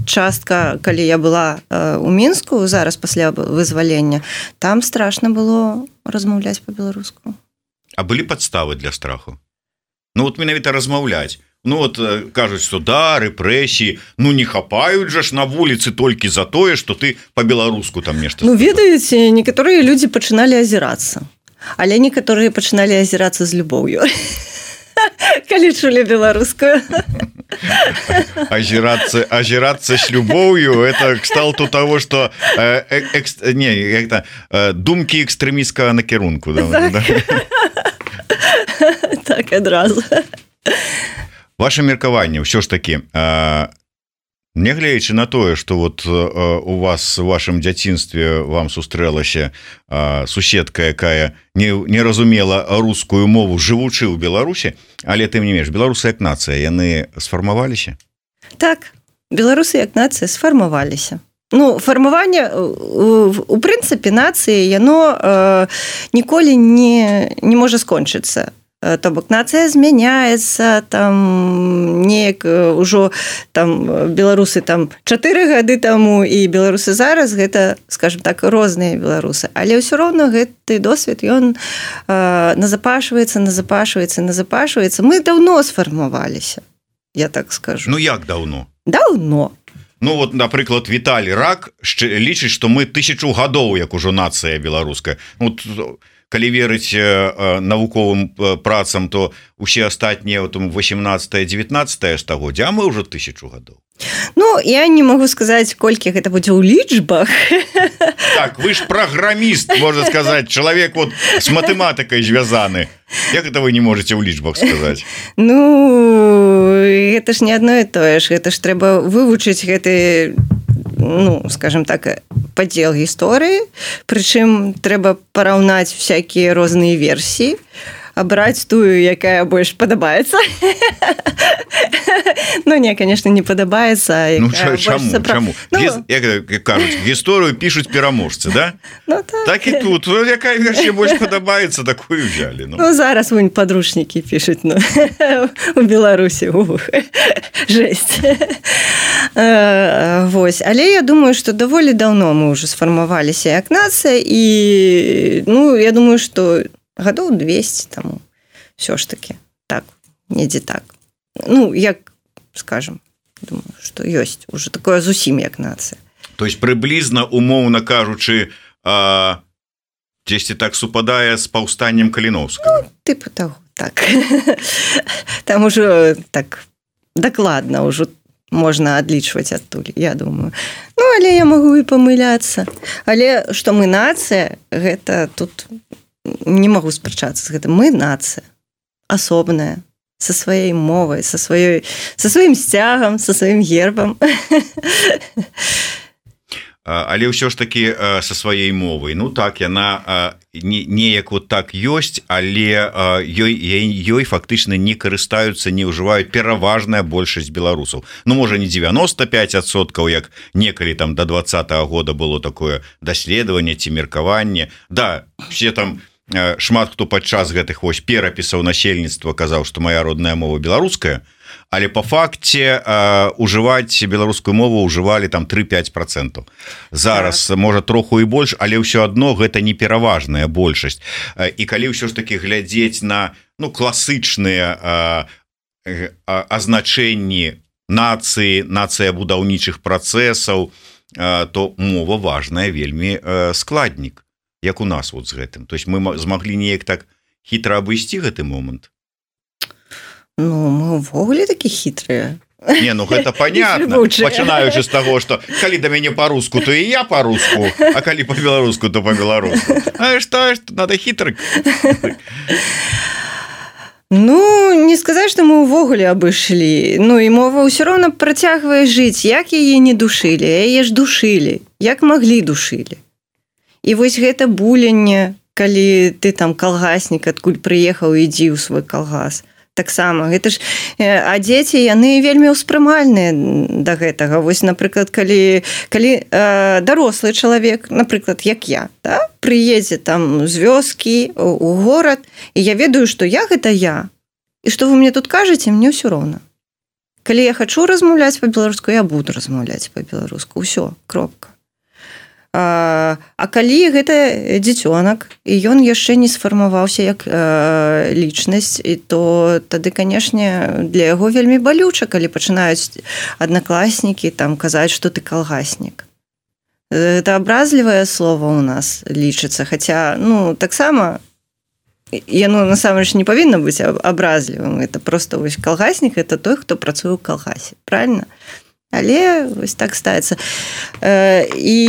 частка, калі я была у Мінску, зараз пасля вызвалення, там страшна было размаўляць па-беларуску. А былі падставы для страху? Ну, вот менавіта размаўляць. Ну, вот кажуць, што да, рэпрэсіі, ну, не хапаюць жа ж на вуліцы толькі за тое, што ты па-беларуску там нешта... Ну, ведаеце, некаторыя людзі пачыналі азірацца, але некаторыя пачыналі азірацца з любоўю, калі чулі беларускую. Азірацца з любоўю, это кшталту того, што думкі экстрэміскага накірунку. Так, адразу. Ваше меркаванне ўсё ж такі, нягледзячы на тое, што вот у вас у вашым дзяцінстве вам сустрэлася суседка, якая не разумела рускую мову, жывучы ў Беларусі, але тым не менш, беларусы як нацыя, яны сфармаваліся? Так, беларусы як нацыя сфармаваліся. Ну, фармаванне, у прынцыпе, нацыі, яно ніколі не можа скончыцца. То бок нацыя змяняецца, там неяк ужо там беларусы там 4 гады таму і беларусы зараз, гэта, скажем так, розныя беларусы. Але ўсё роўна гэты досвед, ён назапашваецца. Мы даўно сфармаваліся, я так скажу. Ну, як даўно? Даўно. Ну, вот, напрыклад, Віталій Рак лічыць, што мы 1000 гадоў, як ужо нацыя беларуская. Вот, калі верыць навуковым працам, то усе астатнія 18-19 стагоддзя, а мы ўжо 1000 гадоў. Ну, я не могу сказаць, колькі гэта будзе ў лічбах. Так, вы ж праграміст, можна сказаць, чалавек вот з матэматыкай звязаны. Як это вы не можете ў лічбах сказаць? Ну, гэта ж не адно і тое ж. Гэта ж трэба вывучыць гэты, ну, скажем так, падзел гісторыі, прычым трэба параўнаць всякія розныя версіі, абраць тую, якая больш падабаецца. Ну, не, конечно, не падабаецца. Ну, чаму? Як кажуць, гісторыю пішуць пераможцы, да? Ну, так. Так і тут. Якая версія больш падабаецца, такую взяли. Ну, зараз вунь падручнікі пішуць, ну, у Беларусі. Жесть. Вось. Але я думаю, што даволі даўно мы ўжо сфармаваліся як нацыя, і, ну, я думаю, што гадоў 200 таму все ж таки так, недзе так. Ну, як, скажем, думаю, што ёсць уже такое зусім як нацыя. То есть прыблізна, умоўна кажучы, дзесьці так супадае з паўстаннем Каліноўскага? Ну, тыпу таго, так. Там ужо так дакладна ўжо можна адлічваць адтуль, я думаю. Ну, але я магу і памыляцца. Але што мы нацыя, гэта тут не магу спрачацца з гэтым. Мы нацыя асобная, со сваёй мовай, со сваім сцягам, со сваім гербам. Але ўсё ж таки со сваёй мовай. Ну так, яна неяк вот так ёсць, але ёй фактычна не карыстаюцца, не ўжываюць пераважная большасць беларусаў. Ну, можа, не 95%, як некалі там до 2020 года было такое даследаванне ці меркаванне. Да, все там шмат хто падчас гэтых вось перапісаў насельніцтва казаў, што моя родная мова беларуская, але по факце ужываць беларускую мову ўжывалі там 3-5%. Зараз можа троху і больш, але ўсё адно гэта не пераважная большасць. І калі ўсё ж таки глядзець на класычныя азначэнні нацыі, нацыя будаўнічых працэсаў, то мова важная вельмі складнік, як у нас вот з гэтым. То есть мы змаглі неяк так хітра абысці гэты момант. Ну, мы ўвогуле такі хітрыя. Не, ну гэта понятно, пачынаючы з таго, што калі да мяне па-руску, то і я па-руску, а калі па-беларуску, то па-беларуску. А што, надо хітрык. Ну, не сказаць, што мы ўвогуле абышлі. Ну, і мова ўсё роўна працягвае жыць. Як яе не душылі? Яе ж душылі. Як маглі душылі. І вось гэта буленне, калі ты там калгаснік, адкуль прыехаў, ідзі ў свой калгас. Таксама, гэта ж, а дзеці, яны вельмі ўспрымальныя да гэтага. Вось, напрыклад, калі дарослы чалавек, напрыклад, як я, да, прыедзе там з вёскі у горад, і я ведаю, што я гэта я, і што вы мне тут кажаце, мне ўсё роўна. Калі я хачу размаўляць па-беларуску, я буду размаўляць па-беларуску. Усё, кропка. А калі гэта дзіцёнак, і ён яшчэ не сфармаваўся як лічнасць, і то тады, канешне, для яго вельмі балюча, калі пачынаюць аднакласнікі там казаць, што ты калгаснік. Это абразлівае слово ў нас лічыцца, хаця, ну, таксама яно насамрэч не павінна быць абразлівым. Это просто вось калгаснік, это той, хто працуе ў калгасе, правильно? Але вось так ставіцца. І,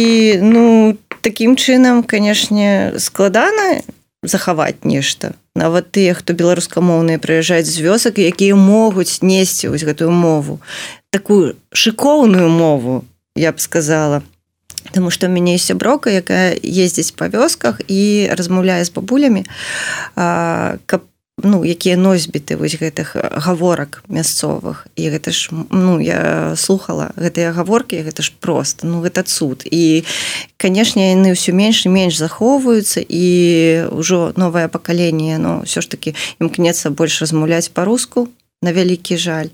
ну, такім чынам, канешне, складана захаваць нешта. Нават тыя, хто беларускамоўныя прыязджаюць з вёсак, якія могуць несці вось гэтую мову. Такую шыкоўную мову, я б сказала. Таму што ў мяне ёсць сяброўка, якая ездзіць па вёсках і размаўляе з бабулямі, каб якія носьбіты вось гэтых гаворак мясцовых. І гэта ж, я слухала гэтыя гаворкі, гэта ж проста, гэта цуд. І, канешне, яны ўсё менш і менш захоўваюцца, і ўжо новае пакаленне, ўсё ж такі імкнецца больш размаўляць па-руску, на вялікі жаль.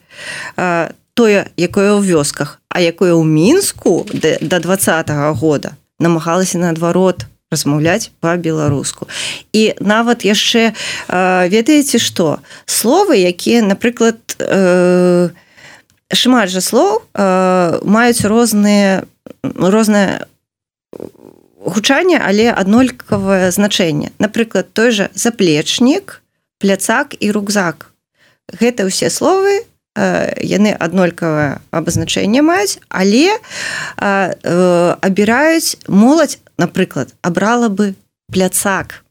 Тое, якое ў вёсках, а якое ў Мінску да 2020 года намагалася наадварот размаўляць па-беларуску. І нават яшчэ, ведаеце што, словы, якія, напрыклад, шмат жа слоў маюць рознае гучанне, але аднолькавае значэнне. Напрыклад, той жа заплечнік, пляцак і рюкзак. Гэта ўсе словы, яны аднолькавае абазначэнне маюць, але абіраюць моладзь, напрыклад, абрала бы пляцак,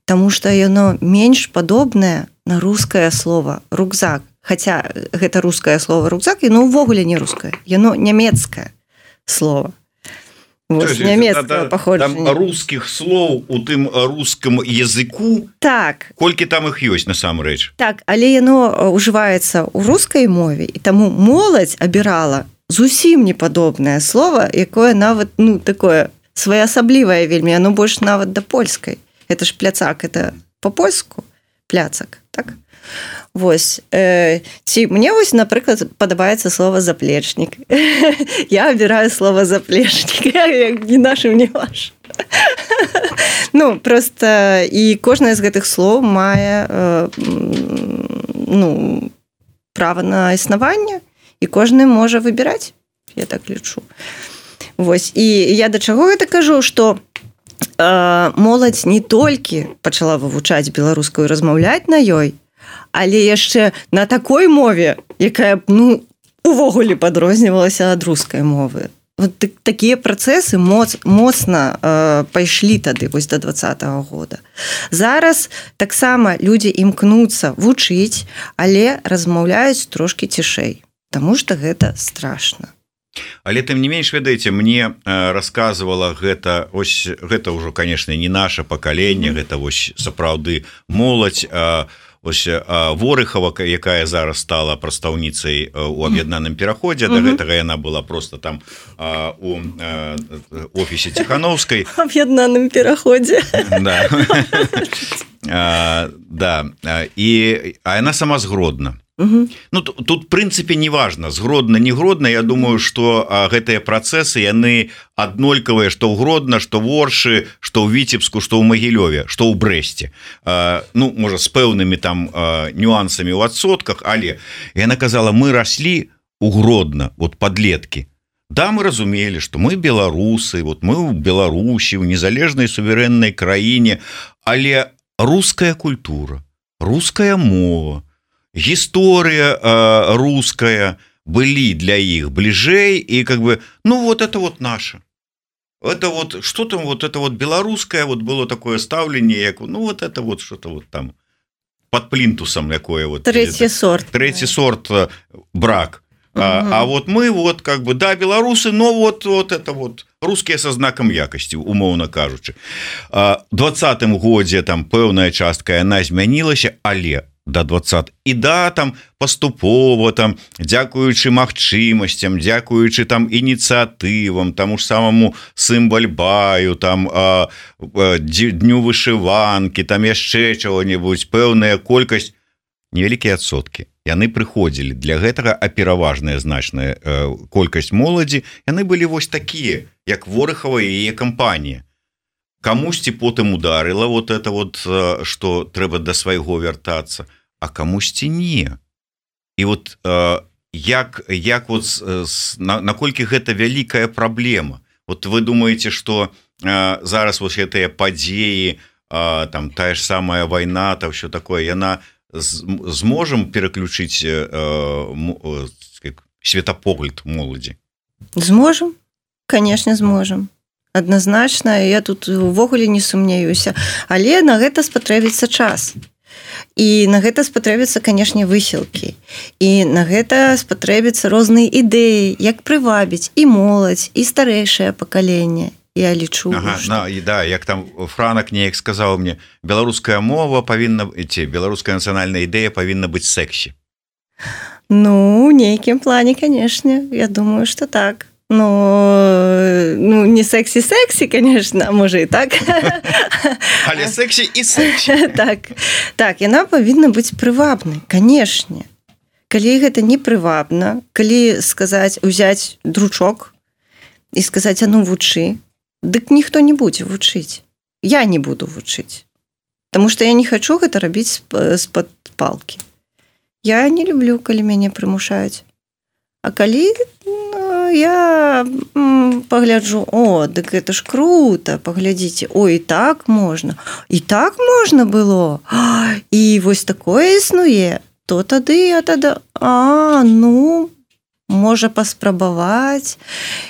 таму што яно менш падобнае на рускае слово рюкзак. Хаця гэта рускае слово рюкзак, яно ўвогуле не рускае, яно нямецкае слово. Вось, нямецкае паходжанне. Там рускіх слоў у тым рускім языку, так. Колькі там іх ёсць насамрэч. Так, але яно ўжываецца ў рускай мове, і таму моладзь абірала зусім непадобнае слово, якое нават, такое своеасаблівае вельмі, оно больш нават да польскай. Это ж пляцак, это по-польску пляцак, так? Вось. Ці мне вось, напрыклад, падабаецца слово заплечнік. Я абіраю слово заплечнік, як не нашым, не ваш. Просто і кожнае з гэтых слоў мае права на існаванне, і кожны можа выбіраць, я так лічу. Вось. І я да чаго гэта кажу, што моладзь не толькі пачала вывучаць беларускую, размаўляць на ёй, але яшчэ на такой мове, якая увогуле падрознівалася ад рускай мовы. вот такія працэсы моцна пайшлі тады вось до 2020 года. Зараз таксама людзі імкнуцца вучыць, але размаўляюць трошки цішэй, таму што гэта страшна. Але тым не менш, ведаеце, мне рассказывала гэта ўжо, конечно, не наше пакаленне, гэта вось сапраўды моладзь, ось Ворыхова, якая зараз стала прадстаўніцай у аб'яднаным пераходзе, да гэтага яна была просто там у офісе Ціхановскай. Аб'яднаным пераходзе. Да, і яна сама з Гродна. Ну, тут, в прынцыпе, не важна, згродна, не гродна. Я думаю, што гэтыя працэсы, яны аднолькавыя, што ў Гродна, што ў Оршы, што ў Віцебску, што ў Магілёве, што ў Брэсце. Ну, можа, з пэўнымі там нюансамі ў адсотках, але яна казала, мы раслі ў Гродна, вот падлеткі. Да, мы разумелі, што мы беларусы, вот мы ў Беларусі, ў незалежнай суверэннай краіне, але руская культура, руская мова, гісторыя руская былі для іх бліжэй, і как бы, ну вот это вот наше. Это вот, что там, вот это вот беларускае, вот было такое стаўленне, як, ну вот это вот что-то вот там под плінтусом якое вот. Третий сорт. Третий сорт брак. А вот мы вот как бы, да, беларусы, но вот это вот рускія со знаком якасці, умоўна кажучы. В 20-м годзе там пэўная частка яна змянілася, але до 20. І да, там паступова, там, дзякуючы магчымасцям, дзякуючы там ініцыятывам, таму ж самому Сымбальбаю, там дню вышыванкі, там яшчэ чаго-небудзь, пэўная колькасць, невялікія адсоткі. Яны прыходзілі. Для гэтага, а пераважная значная колькасць моладзі, яны былі вось такія, як Ворыхова і яе кампанія. Камусьці потым ударыла вот это вот, што трэба да свайго вяртацца, а камусьці не. І вот як вот наколькі гэта вялікая праблема. Вот вы думаеце, што зараз вось гэтыя падзеі, там тая ж самая вайна, там ўсё такое, яна зможам пераключыць светапогляд моладзі? Зможам, конечно, зможам. Адназначна, я тут увогуле не сумняюся, але на гэта спатрэбіцца час. І на гэта спатрэбіцца, канешне, высілкі. І на гэта спатрэбіцца розныя ідэі, як прывабіць і моладзь, і старэйшае пакаленне. Я лічу, да, як там Франак неяк сказаў мне, беларуская мова павінна, беларуская нацыянальная ідэя павінна быць сексі. Ну, у нейкім плане, канешне, я думаю, што так. Ну, не сексі-сексі, конечно, а можа і так. Але сексі і сексі. Так, яна павінна быць прывабнай, канешне. Калі гэта не прывабна, калі сказаць, узяць дручок і сказаць, а ну вучы, дык ніхто не будзе вучыць. Я не буду вучыць. Таму што я не хачу гэта рабіць з-пад палкі. Я не люблю, калі мяне прымушаюць. А калі я пагляджу, о, дык гэта ж круто, паглядзіце, ой, і так можна было, і вось такое існуе, то тады, ну, можа паспрабаваць.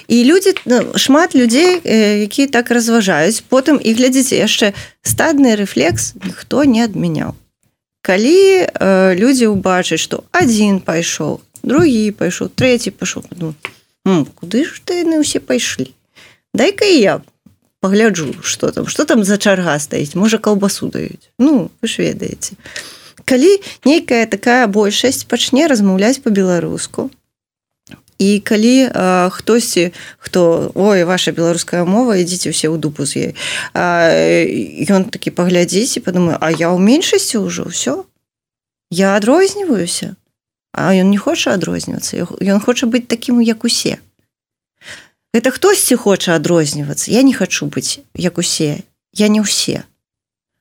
І людзі, шмат людзей, якія так разважаюць, потым, і глядзіце, яшчэ стадны рэфлекс ніхто не адмяняў. Калі людзі ўбачаць, што адзін пайшоў, другі пайшоў, трэці пайшоў, ну, куды ж яны ўсе пайшлі? Дай-ка і я пагляджу, што там за чарга стаіць, можа каўбасу даюць. Ну, вы ж ведаеце. Калі нейкая такая большасць пачне размаўляць па-беларуску, і калі хтосьці, хто, ой, ваша беларуская мова, ідзіце ўсе ў дупу з ёй, ён такі паглядзіць і падумае, а я ў меншасці ўжо, ўсё, я адрозніваюся. А ён не хоча адрознівацца, ён хоча быць такім, як усе. Гэта хтосьці хоча адрознівацца, я не хачу быць як усе, я не ўсе.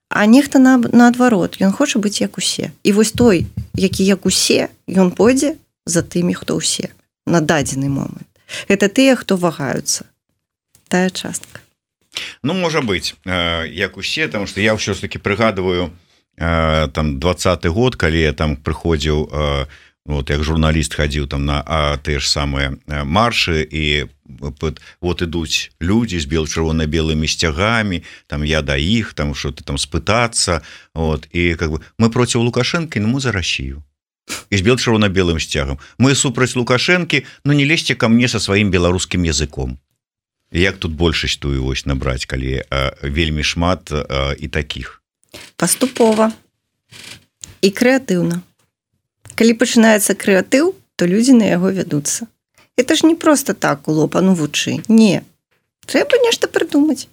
А нехта наадварот, ён хоча быць як усе. І вось той, які як усе, ён пойдзе за тымі, хто ўсе, на дадзены момант. Гэта тыя, хто вагаюцца. Тая частка. Ну, можа быць, як усе, таму што я ўсё ж таки прыгадываю там 20-й год, калі я там прыходзіў вот як журналіст хадзіў там на тыя ж самыя маршы і вот ідуць людзі з чырвона-белымі сцягамі, там я да іх, там что-то там спытацца, вот, і как бы мы проціў Лукашэнкі, мы за Россию. І з чырвона-белым сцягам. Мы супраць Лукашэнкі, не лезьце ко мне со сваім беларускім языком. Як тут большасць тую вось набраць, калі вельмі шмат і такіх? Паступова і крэатыўна. Калі пачынаецца крэатыў, то людзі на яго вядуцца. Это ж не просто так у лоб, вучы. Не. Трэба нешта прыдумаць.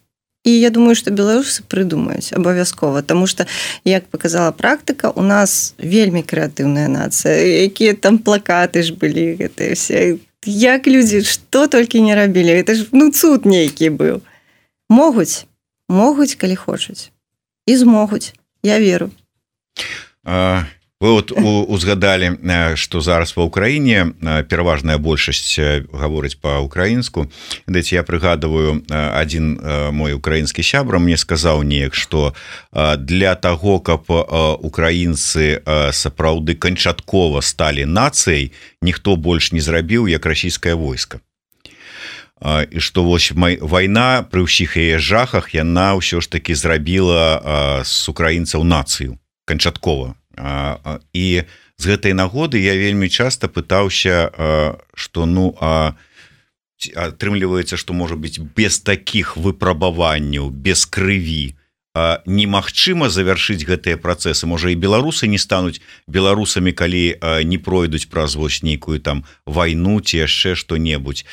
І я думаю, што беларусы прыдумаюць абавязкова, таму што, як показала практыка, у нас вельмі крэатыўная нацыя, якія там плакаты ж былі, гэтыя все. Як людзі, што толькі не рабілі. Это ж, цуд нейкі быў. Могуць, калі хочуць. І змогуць. Я веру. Вы вот узгадалі, што зараз ва ўкраіне пераважная большасць гаворыць па-ўкраінску. Я прыгадываю, адзін мой украінскі сябра мне сказаў неяк, што для таго, каб украінцы сапраўды канчаткова сталі нацыяй, ніхто больш не зрабіў, як расійскае войска. І што вось вайна пры ўсіх яе жахах, яна ўсё ж такі зрабіла з украінцаў нацыю канчаткова. І з гэтай нагоды я вельмі часта пытаўся, што атрымліваецца, што можа быць без такіх выпрабаванняў, без крыві немагчыма завяршыць гэтыя працэсы. Можа, і беларусы не стануць беларусамі, калі не пройдуць праз вось нейкую там вайну ці яшчэ што-небудзь.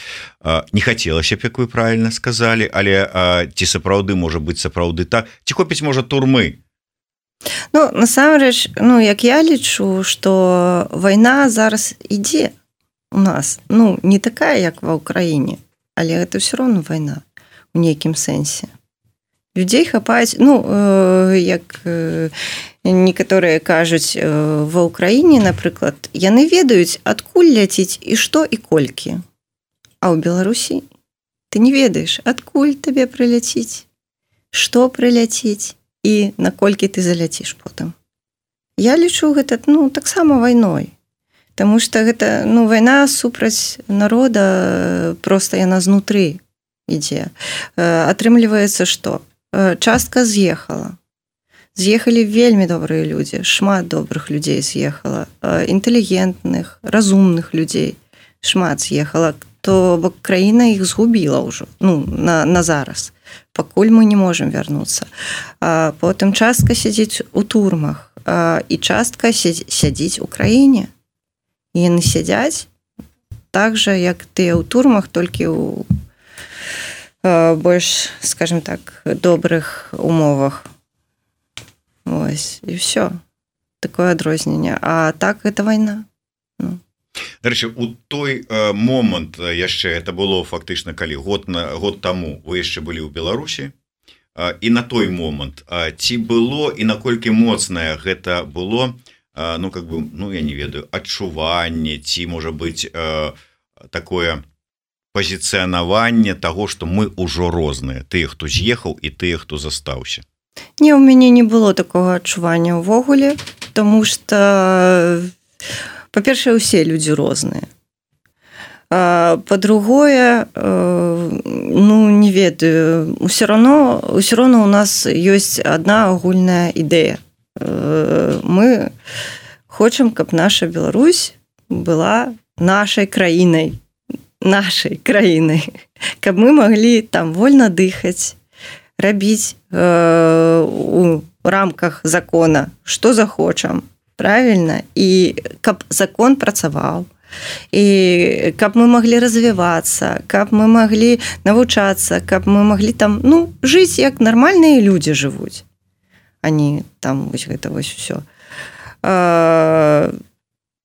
Не хацелася б, як вы правільна сказалі, але ці сапраўды можа быць сапраўды так? Ці хопіць, можа, турмы? Насамрэч, як я лічу, што вайна зараз ідзе у нас. Не такая, як ва ўкраіне, але гэта ўсё роўно вайна у нейкім сэнсе. Людзей хапаюць, як некаторыя кажуць, ва ўкраіне, напрыклад, яны ведаюць, адкуль ляціць і што і колькі. А ў Беларусі ты не ведаеш, адкуль табе прыляціць, што прыляціць і наколькі ты заляціш потым. Я лічу гэта, таксама вайной. Таму што гэта, вайна супраць народа, проста яна знутры ідзе. Атрымліваецца, што? Частка з'ехала. З'ехалі вельмі добрыя людзі, шмат добрых людзей з'ехала, інтэлігентных, разумных людзей шмат з'ехала, то бок краіна іх згубіла ўжо, на зараз. Пакуль мы не можам вярнуцца. Потым частка сядзіць у турмах, і частка сядзіць у краіне. І яны сядзяць так жа, як тыя ў турмах, толькі ў больш, скажем так, добрых умовах. Ось, і ўсё. Такое адрозненне. А так, гэта вайна. Дарэчы, у той момант яшчэ, это было фактычна калі год таму вы яшчэ былі ў Беларусі, і на той момант ці было і наколькі моцнае гэта было, я не ведаю, адчуванне, ці можа быць такое пазіцыянаванне таго, што мы ўжо розныя, тыя, хто з'ехаў і тыя, хто застаўся? Не, у мяне не было такога адчування ўвогуле, таму што па-першае, усе людзі розныя. Па-другое, не ведаю, ўсё роўно у нас ёсць адна агульная ідэя. Мы хочам, каб наша Беларусь была нашай краінай, каб мы маглі там вольна дыхаць, рабіць у рамках закона, што захочам, правильно, і каб закон працаваў, і каб мы маглі развівацца, каб мы маглі навучацца, каб мы маглі там, жыць, як нармальныя людзі жывуць, а не там вось гэта вось усё.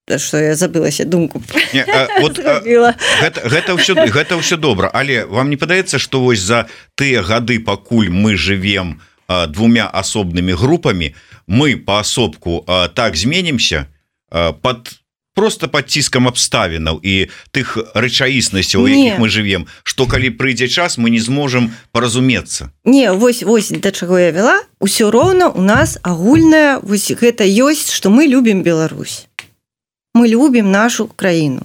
Што я забылася думку. Гэта ўсё добра, але вам не падаецца, што вось за тыя гады, пакуль мы жывем двумя асобнымі групамі, мы паасобку так зменімся просто пад ціскам абставінаў і тых рэчаіснасцяў, у якіх мы жывем, што калі прыйдзе час, мы не зможам паразумецца. Не, вось да чаго я вела, усё роўна у нас агульнае, вось гэта ёсць, што мы любім Беларусь. мы любім нашу краіну,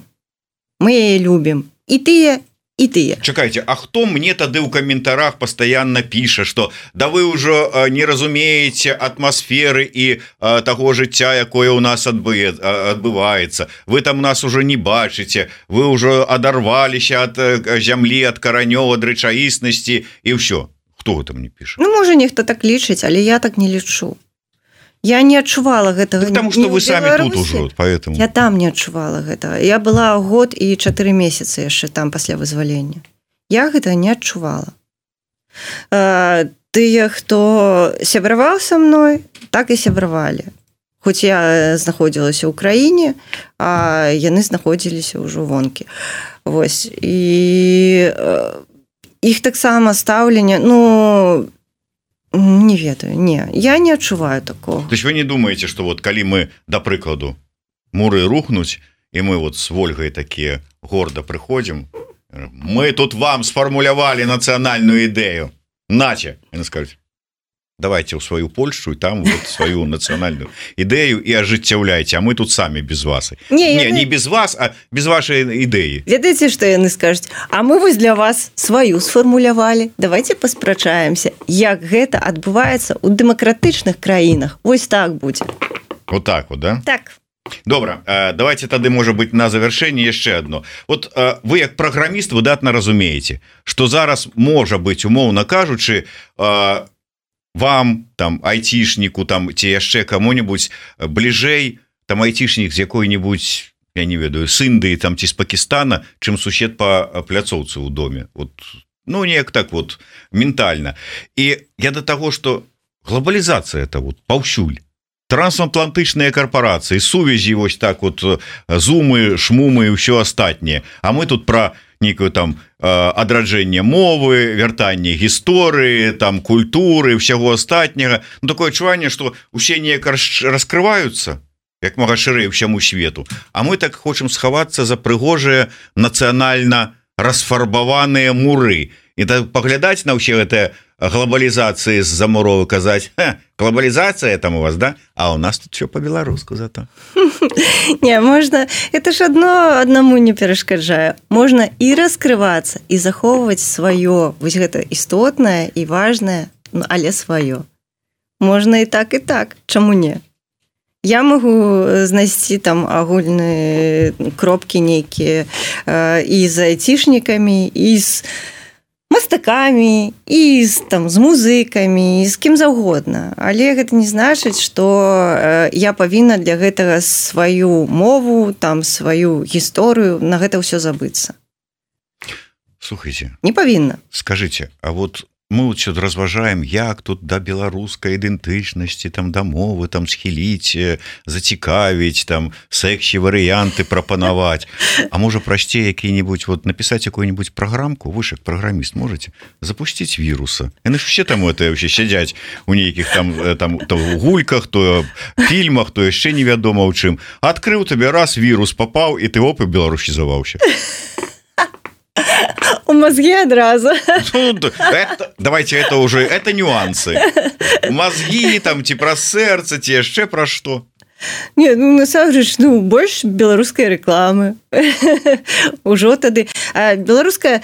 мы яе любім, і тыя, і тыя. Чакайце, а хто мне тады ў каментарах пастаянна піша, што да вы ўжо не разумееце атмасферы і таго жыцця, якое ў нас адбываецца, вы там нас ужо не бачыце, вы ўжо адарваліся ад зямлі, ад каранёў, ад рэчаіснасці і ўсё. Хто гэта мне піша? Ну, можа, нехта так лічыць, але я так не лічу. Я не адчувала гэтага. Потому что вы самі тут ужо, поэтому. Я там не адчувала гэтага. Я была год і 4 месяцы яшчэ там пасля вызвалення. Я гэтага не адчувала. Тыя, хто сябраваў са мной, так і сябравалі. Хоць я знаходзілася ў краіне, а яны знаходзіліся ўжо вонкі. Вось. І іх таксама стаўленне, ну, не ведаю, не, я не адчуваю такого. То есть вы не думаете, что вот калі мы, да прыкладу, муры рухнуць, і мы вот с Вольгай такія горда прыходзім, мы тут вам сфармулявалі нацыянальную ідэю, наче, яны скажуць, давайте ў сваю Польшу і там вот сваю нацыянальную ідэю і ажыццяўляйце, а мы тут самі без вас. Не без вас, а без вашай ідэі. Ведаеце, што яны скажуць? А мы вось для вас сваю сфармулявалі. Давайте паспрачаемся, як гэта адбываецца ў дэмакратычных краінах. Вось так будзе. Вот так вот, да? Так. Добра, давайте тады, можа быть, на завяршэнне яшчэ адно. Вот вы як праграміст выдатна разумееце, што зараз можа быць, умоўна кажучы, вам, там, айцішніку, там, ці яшчэ каму-небудзь бліжэй, там, айцішнік з якой-небудзь, я не ведаю, з Індыі, там, ці з Пакістана, чым сусед па пляцоўцы ў доме. Вот, ну, неяк так вот, ментальна. І я да таго, што глобалізацыя это вот паўсюль. Трансатлантычныя карпорацыі, сувязі вось так вот, зумы, шмумы і ўсё астатняе. А мы тут пра некую там адраджэнне мовы, вяртанне гісторыі, там культуры, ўсяго астатняга. Ну, такое адчуванне, што усе неяк раскрываюцца, як мага шырэй ўсяму свету. А мы так хочам схавацца за прыгожыя нацыянальна расфарбаваныя муры. І так паглядаць на ўсе гэтыя глобалізацыі з-за муровы, казаць, глобалізацыя там у вас, да? А у нас тут все по-беларуску зато. Не, можна, это ж аднаму не перашкаджае. Можна і раскрывацца, і захоўваць сваё, вось гэта істотнае і важнае, але сваё. Можна і так, чаму не? Я могу знайсці там агульныя кропкі нейкія і з айцішнікамі, і з мастакамі, і з музыкамі, і з кім заўгодна. Але гэта не значыць, што я павінна для гэтага сваю мову, там, сваю гісторыю, на гэта ўсё забыцца. Слухайце. Не павінна. Скажыце, а вот мы вот сюда разважаем, як тут да беларускай ідэнтычнасці, там, да мовы, там, схіліць, зацікавіць, там, сэксі варыянты прапанаваць. А можа, прасцей які-небудзь, вот, напісаць якую-небудзь праграмку, вы ж як праграміст можаце запусціць віруса. Яны ж все там это вообще сядзяць у нейкіх там то гульках, то фільмах, то яшчэ невядома ў чым. Адкрыў табе раз, вірус папаў, і ты оп, і беларусізаваўся. У мозги одразу. Давайте это уже, это нюансы. Мозги, там, ці пра сэрца, ці яшчэ пра што? Не, ну, насамрэч, больш беларускай рэкламы. Ужо тады. Беларуская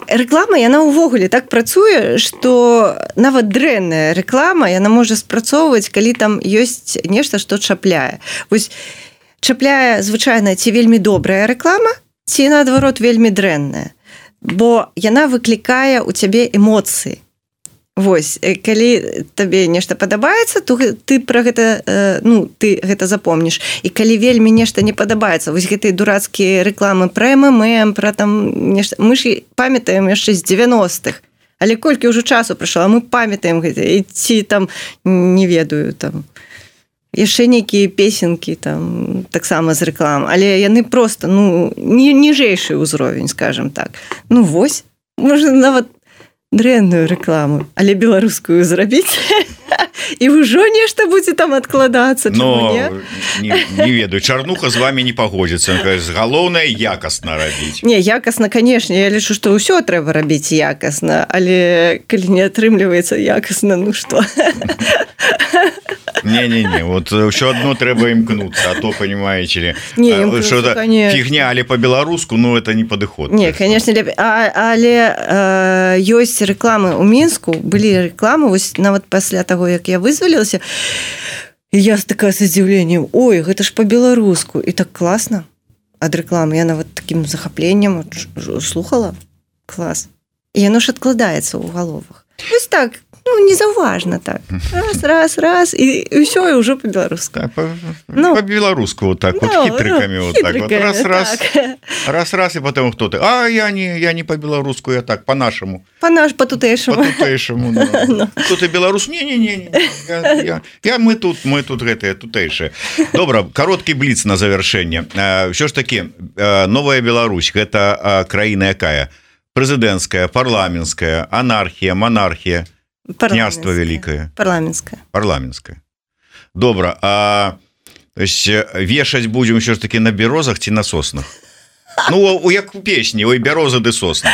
рэклама, яна ўвогуле так працуе, што нават дрэнная рэклама, яна можа спрацоўваць, калі там ёсць нешта, што чапляе. Вось чапляе, звычайна, ці вельмі добрая рэклама, ці, наадварот, вельмі дрэнная. Бо яна выклікае ў цябе эмоцыі. Вось, калі табе нешта падабаецца, то ты пра гэта, ты гэта запомніш. І калі вельмі нешта не падабаецца, вось гэтыя дурацкія рэкламы пра МММ, пра там нешта, мы ж памятаем яшчэ з 90-х. Але колькі ўжо часу прайшло, а мы памятаем гэта, і ці там, не ведаю, там, яшчэ нейкія песенкі там таксама з рэклам, але яны проста ніжэйшы ўзровень, скажем так. Ну вось, можна нават дрэнную рэкламу, але беларускую зрабіць, і ўжо нешта будзе там адкладацца. Но не ведаю, Чарнуха з вами не пагодзіцца. Галоўнае якасна рабіць. Не, якасна, канешне, я лічу, што ўсё трэба рабіць якасна, але калі не атрымліваецца якасна, ну што? Не-не-не, вот еще одно трэба імкнуцца, а то, понимаете ли, фігня, але по-беларуску, ну, это не падыход. Не, конечно, але ёсць рэкламы ў Мінску, былі рэкламы, вось нават пасля таго, як я вызвалілася, і я такая з здзіўленнем, ой, гэта ж по-беларуску, і так класна ад рэкламы, я нават такім захапленнем слухала, клас. І яно ж адкладаецца ў галовах. Вось так, ну, незаўважна так. Раз, і ўсё, і ўжо по-беларуску. По-беларуску вот так, вот хитрыкамі, вот так вот. Раз, и потом кто ты? А, я не по-беларуску, я так, по-нашему. По-тутэйшаму. По-тутэйшаму, ну. Кто ты беларус? Не. Мы тут гэтыя тутэйшыя. Добра, кароткі бліц на завяршэнне. Ўсё ж такі, новая Беларусь, гэта краіна якая? Прэзідэнцкая, парламенцкая, анархія, монархія, княства вялікае. Парламенцкая. Добра, а вешаць будзем ўсё ж такі на бярозах ці на соснах? Ну, як у песні, ой, бяроза ды сосна.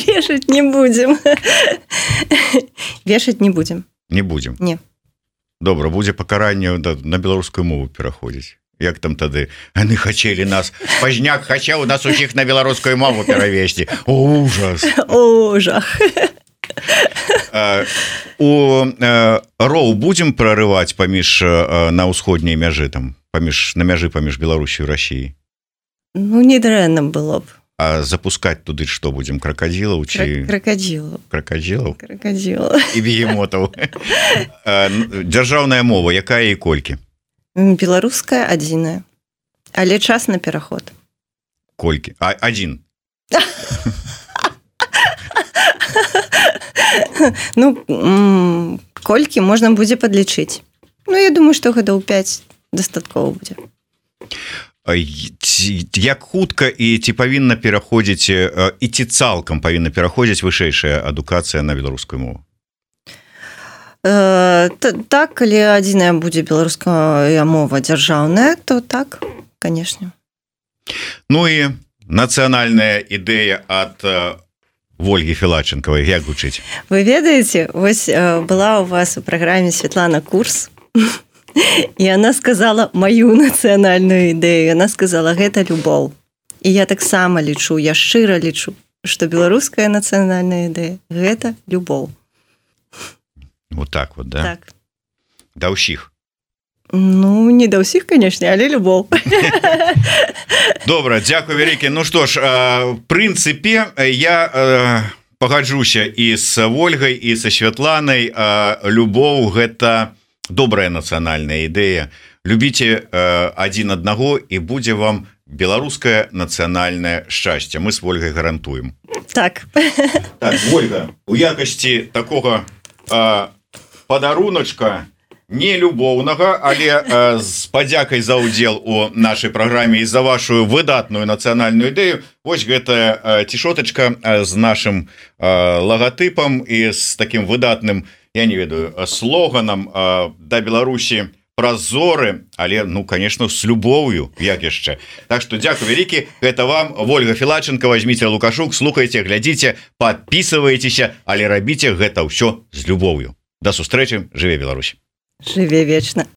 Вешаць не будзем. Вешаць не будзем. Не будзем? Не. Добра, будзе пакаранне на беларускую мову пераходзіць. Як там тады? Яны хацелі нас, Пазняк хацеў нас усіх на беларускую мову перавесці. О, ужас. Жах. У роў будзем прарываць паміж на ўсходняй мяжы там, на мяжы паміж Беларусю і Расіяй? Ну, не дрэнна было б. А запускаць туды што будзем? Кракадзілаў ці... Кракадзілаў? І бегемотаў. Дзяржаўная мова, якая і колькі? Беларуская адзіная, але час на пераход. Колькі? Адзін? Ну, колькі можна будзе падлічыць. Ну, я думаю, што гадоў 5 дастаткова будзе. Як хутка і ці павінна пераходзіць, і ці цалкам павінна пераходзіць вышэйшая адукацыя на беларускую мову? Так, калі адзіная будзе беларуская мова дзяржаўная, то так, канешне. Ну і нацыянальная ідэя ад Вольгі Філаченкавай, як гучыць? Вы ведаеце, вось была у вас у праграме Светлана Курс, і она сказала маю нацыянальную ідэю, она сказала, гэта любоў. І я таксама лічу, я шчыра лічу, што беларуская нацыянальная ідэя – гэта любоў. Вот так вот, да? Так. Да ўсіх? Ну, не да ўсіх, канешне, але любоў. Добра, дзякуй вялікі. Ну што ж, в прынцыпе, я пагаджуся і з Вольгай, і са Святланай. Любоў – гэта добрая нацыянальная ідэя. Любіце адзін аднаго, і будзе вам беларускае нацыянальнае шчасце. Мы з Вольгай гарантуем. Так. Так, Вольга, у якасці такога падаруначка не любоўнага, але з падзякай за ўдзел у нашай праграме і за вашу выдатную нацыянальную ідэю. Вось гэтая цішотачка з нашым лагатыпам і з такім выдатным, я не ведаю, слоганам да Беларусі праз зоры, але, ну, конечно, з любоўю, як яшчэ. Так што дзякуй вялікі, гэта вам Вольга Філаченкава, Зміцер Лукашук, слухайце, глядзіце, падпісывайцеся, але рабіце гэта ўсё з любоўю. Да сустрэчы, жыве Беларусь. Жыве вечна.